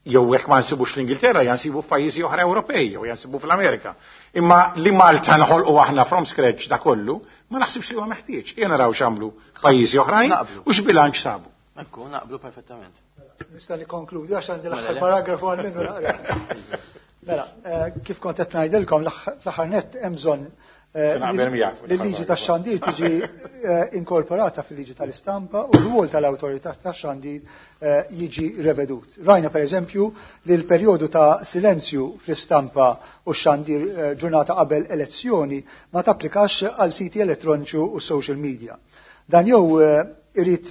Speaker 2: Jew jekk ma nsibux l-Ingilterra, jansibu f'pajjiżi oħra Ewropej, jew jansibu fl-Amerika. Imma li Malta nħolqu aħna from scratch da kollu, ma naħsibx li huwa meħtieġ. Ejja naraw x'għamlu pajjiżi oħrajn u x'bilanċ sabu.
Speaker 1: Ekku, naqblu perfettament.
Speaker 3: Nista' nikkonkludi għax għandi l-aħħar paragrafu għal minnu naqra. Mela, kif kont qed ngħidilkom fl-aħħar nett hemm bżonn li l-liġi tax-xandir tiġi inkorporata fil-liġi tal-istampa u r-rwol tal-awtorità tax-xandir jiġi revedut. Rajna per eżempju li l-perjodu ta' silenzju fl-istampa u x-xandir ġurnata qabel elezzjoni ma tapplikax għal siti elettroniċi u social media. Dan jew irid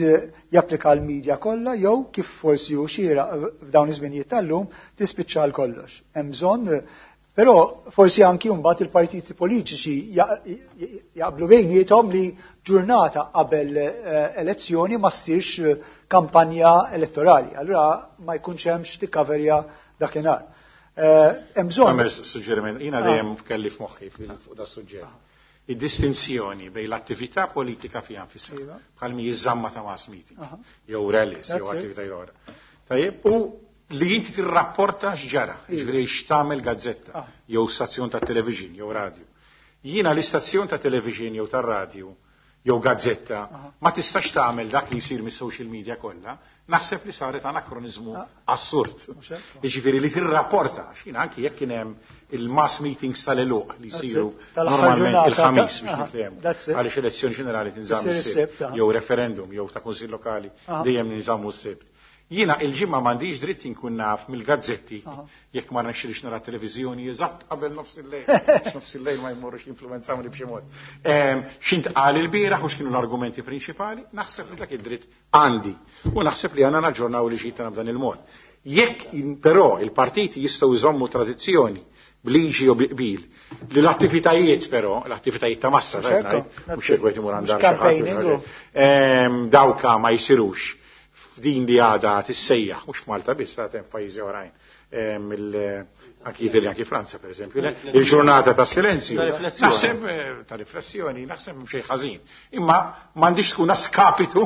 Speaker 3: japplika l-medja kollha jew kif forsi hu xieraq f'dawn iż-żminijiet tal-lum tispiċċa l kollox. Hemm bżonn però forsi anki mbagħad il-partiti politiċi jaqblu bejniethom li ġurnata qabel elezzjoni ma ssirx kampanja elettorali. Allura ma jkunx hemm x'tikkaverja dakinhar. Hemm bżonn.
Speaker 2: Nagħmel suġġeriment, jiena dejjem kelli f'moħħi fuq da suġġett. Id-distinzjoni bejn l-attività politika fiha nfisha, bħal mi jiżamma ta' mass meeting, jew rallies, jew attività oħra. Tajjeb, u li inti tirrapporta x'ġara, jiġifieri x'tagħmel gazzetta, jew stazzjon ta' television, jew radio. Jiena l-istazzjon ta' television jew tar-radju, jew gazzetta, ma tistax tagħmel dak li jsir mis-social media kollha, naħseb li saret anakronizmu assurd. Jiġifieri li tirrapporta, x'jien anki jekk kien hemm il-mass meetings tal-eluq li jsiru normalment il-ħamis biex niftehmu. Għaliex elezzjoni ġenerali tinżamm is-Sibt, jew referendum, jew ta' kunsill lokali dejjem ninżammu s-Sibt. Jiena il-ġimgħa m'għandix dritt inkun naf mill-gazzetti jekk ma rnexxilix nara televiżjoni eżatt qabel nofs il-lejl, nofs il-lejl ma jmorrux jinfluwenzawni b'xi mod. X'intqal il-bieraħ u x'kienu l-argumenti prinċipali, naħseb li dak id-dritt għandi u naħseb li għandna naġġornaw liġijiet tagħna b'dan il-mod. Jekk però il-partiti jistgħu jżommu tradizzjoni bliġi u biqbil li l-attivitajiet però, l-attivitajiet ta' massa, mhux jekk wieħed imur għand dawka ma jsirux f'din li għada tissejjaħ, mhux f'Malta biss, ta' hemm f'pajjiżi oħrajn, anki Italja, anki Franza per eżempju, il-ġurnata ta' silenzju, naħseb ta' riflessjoni, naħseb xejn ħażin. Imma m'għandix tkun skapitu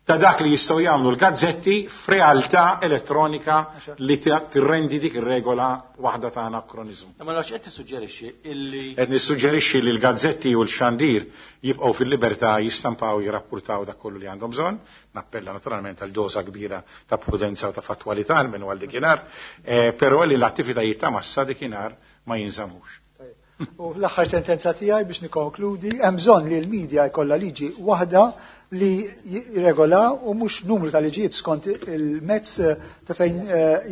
Speaker 2: ta' dak li jistgħu jagħmlu l-gazzetti f'realtà elettronika li tirrendi dik ir-regola waħda ta' anakronizmu.
Speaker 1: Ma nafx qed tissuġġerixxi illi
Speaker 2: qed nissuġġerixxi li l-gazzetti u l-xandir jibqgħu fil-libertà jistampaw jirrappurtaw dak kollu li għandhom bżonn, nappella naturalment għal doża kbira ta' prudenza u ta' fattwalità almenu għal dikinhar, però li l-attivitajiet ta' massa dikinhar ma jinżamux.
Speaker 3: U l-aħħar sentenza tiegħi biex nikkonkludi, hemm bżonn li l-medja jkollha liġi waħda li jirregola u mhux numru ta' liġijiet skont il-mezz ta' fejn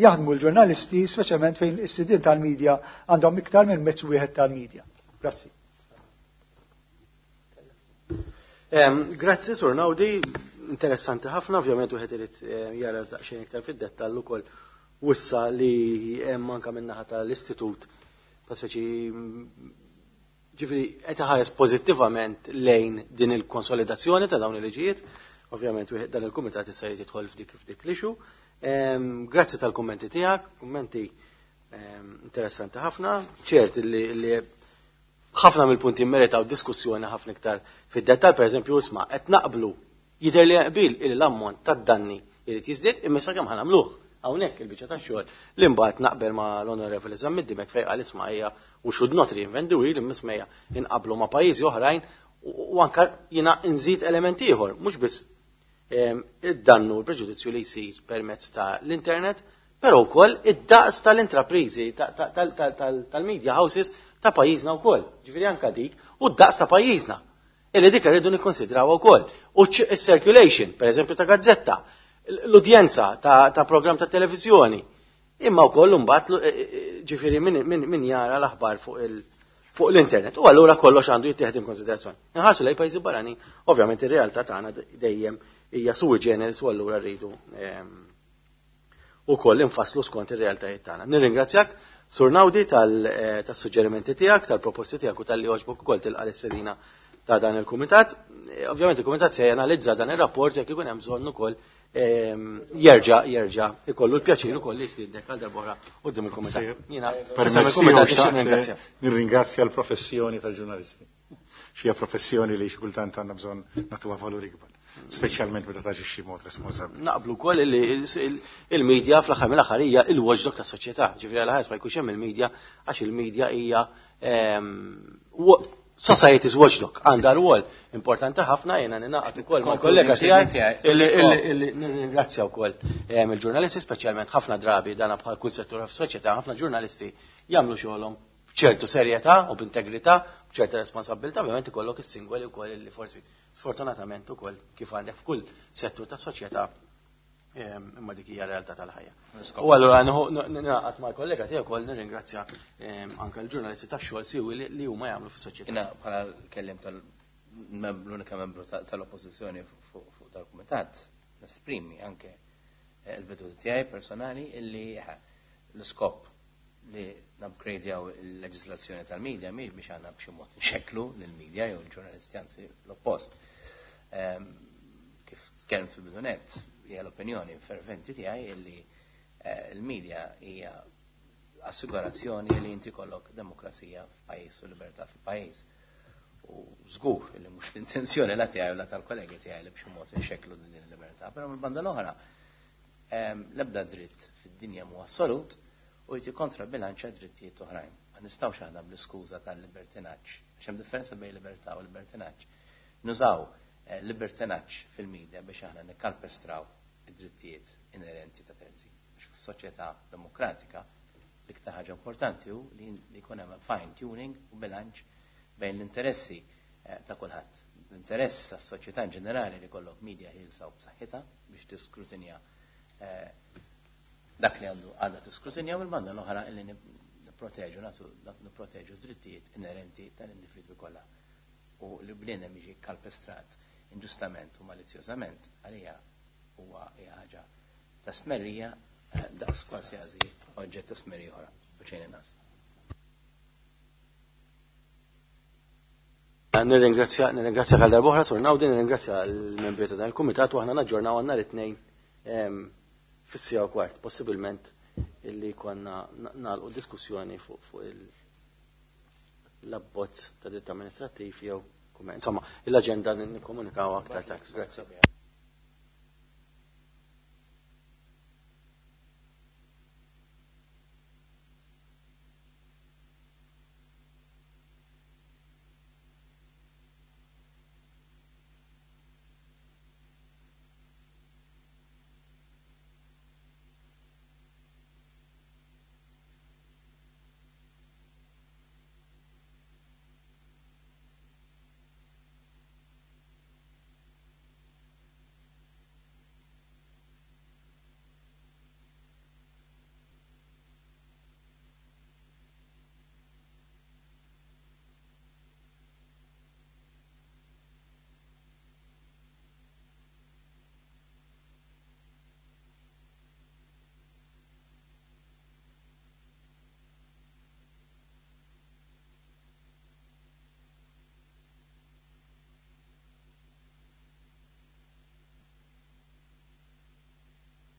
Speaker 3: jaħdmu l-ġurnalisti, speċjalment fejn is-sidien tal-medja għandhom iktar minn mezz wieħed tal-medja. Grazzi.
Speaker 1: Grazzi, Sur Naudi, interessanti ħafna, ovvjament wieħed irid jara daqsxejn iktar fid-dettall ukoll wissa li hemm anke min-naħa tal-istitut ta' speċi ġifieri qed iħares pożittivament lejn din il-konsolidazzjoni ta' dawn il-liġijiet. Ovvjament wieħed dan il-kumitat issa jrid jidħol f'dik f'dik l-issue. Grazzi tal-kummenti tiegħek, kummenti interessanti ħafna, ċert li ħafna mill-punti meritaw diskussjoni ħafna iktar fid-dettall, pereżempju isma' qed naqblu jidher li qbil il l-ammont tad-danni jrid jiżdied imma sa kemm ħanamluh. Hawnhekk il-biċċa tax-xogħol li mbagħad naqbel ma' l-Onorevoli Zammit Dimech fejn qal isma' hija u should not reinvent the wheel imma isma' inqablu ma' pajjiżi oħrajn u anke jiena nżid element ieħor, mhux biss id-dannu u l-preġudizzju li jsir permezz ta' l-internet, però wkoll id-daqs tal-intrapriżi tal-media houses ta' pajjiżna wkoll. Ġifieri anke dik u d-daqs ta' pajjiżna. Illi dik irridu nikkonsidrawha wkoll. U c-circulation, pereżempju ta' gazzetta, l-udjenza ta', ta' program ta' televizjoni. Imma wkoll imbagħad ġifieri min, min, min jara l-aħbar fuq il fuq l-internet. U allura kollox għandu jittieħed in konsiderazzjoni. Inħarsu lejn pajjiżi barani, ovvjament ir-realtà tagħna dejjem hija sui generis u allura rridu ukoll infasslu skont ir-realtajiet tagħna. Nirringrazzjak Sur Naudi tas-suġġerimenti tiegħek, tal-proposti tiegħek u tal-li għoġbok ukoll tilqa' l-istedina ta' dan il-kumitat. Ovvjament il-kumitat se janalizza dan ir-rapport jekk ikun hemm bżonn ukoll jerġa' jerġa' ikollu l-pjaċir ukoll li jsiddek għal darb'oħra quddiem il-kumitat. Jiena
Speaker 2: permessi nirringrazzja l-professjoni tal-ġurnalisti. Xi professjoni li xi kultant għandna bżonn nagħtuha valur ikbar, speċjalment meta taġixxi b'mod responsabbli.
Speaker 1: Naqblu wkoll li il-medja fl-aħħar mill-aħħar hija il-watchdog tas-soċjetà. Ġifieri għal ħares ma jkunx hemm il-medja għax il-medja hija society's watchdog, għandha rwol importanti ħafna. Jiena ninaqgħod ukoll mal-kollega tiegħi illi nirringrazzja wkoll il-ġurnalisti, speċjalment ħafna drabi dana bħal kull settur fis-soċjetà, ħafna ġurnalisti jagħmlu xogħolhom b'ċertu serjetà u b'integrità, b'ċerta responsabilità, ovvjament ikollok is-singoli wkoll li forsi sfortunatament ukoll kif għandek f'kull settur tas-soċjetà, imma dik hija realtà tal-ħajja. U allura ningħaqad mal-kollega tiegħek ukoll nirringrazzja anke l-ġurnalisti tax-xogħol siwi li huma jagħmlu fis-soċjetà.
Speaker 4: Jiena bħala kellim tal-unika membru tal-oppożizzjoni fuq dal-kumitat nesprimi anke il-veduti tiegħi personali illi l-iskop li nupgradejaw il-leġislazzjoni tal-medja mhix biex għandna b'xi mod nxekklu lill-medja jew l-ġurnalisti, anzi l-oppost. Kif tkellimt fil-bidunet, hija l-opinjoni ferventi tiegħi illi l-medja hija assigurazzjoni li inti kollok demokrazija f'pajjiż u libertà f'pajjiż. U żgur li mhux l-intenzjoni la tiegħi u la tal-kollegi tiegħi li b'xi mod inxekklu din il-libertà, però mill-banda l-oħra l-ebda dritt fid-dinja mhu assolut u jti kontra bilanċa drittijiet oħrajn. Ma nistgħux aħna bl-iskuża tal-libertinaġġ, għax hemm differenza bejn libertà u libertinaġġ. Nużaw libertinaġġ fil-medja biex aħna nikkalpestraw id-drittijiet inerenti ta' terzi. Għax f'soċjetà demokratika l-iktar ħaġa importanti hu li jkun hemm fine tuning u bilanċ bejn l-interessi ta' kulħadd. L-interess tas-soċjetà in ġenerali li kollok media ħielsa u b'saħħitha biex tiskrutinja dak li għandu għadha tiskrutinja, u l-banda l-oħra li nipproteġu nagħtu nipproteġu drittijiet inerenti tal-individwi kollha. U li bniedem jiġi kalpestrat inġustament u malizzjożament għalija huwa ħaġa ta' smerrija daqs kważi oġġett ta' smerrija oħra u xejn inqas.
Speaker 1: Nirringrazzja nirringrazzja għal darb'oħra Sur Nawdi, nirringrazzja l-membri ta' dan il-kumitat u aħna naġġornaw għandna it-tnejn fis-sija u kwart, possibilment illi konna nagħlqu diskussjoni fuq l-abbozz ta' dritt amministrattiv jew insomma l-aġenda nikkomunikaw aktar tard. Grazzi.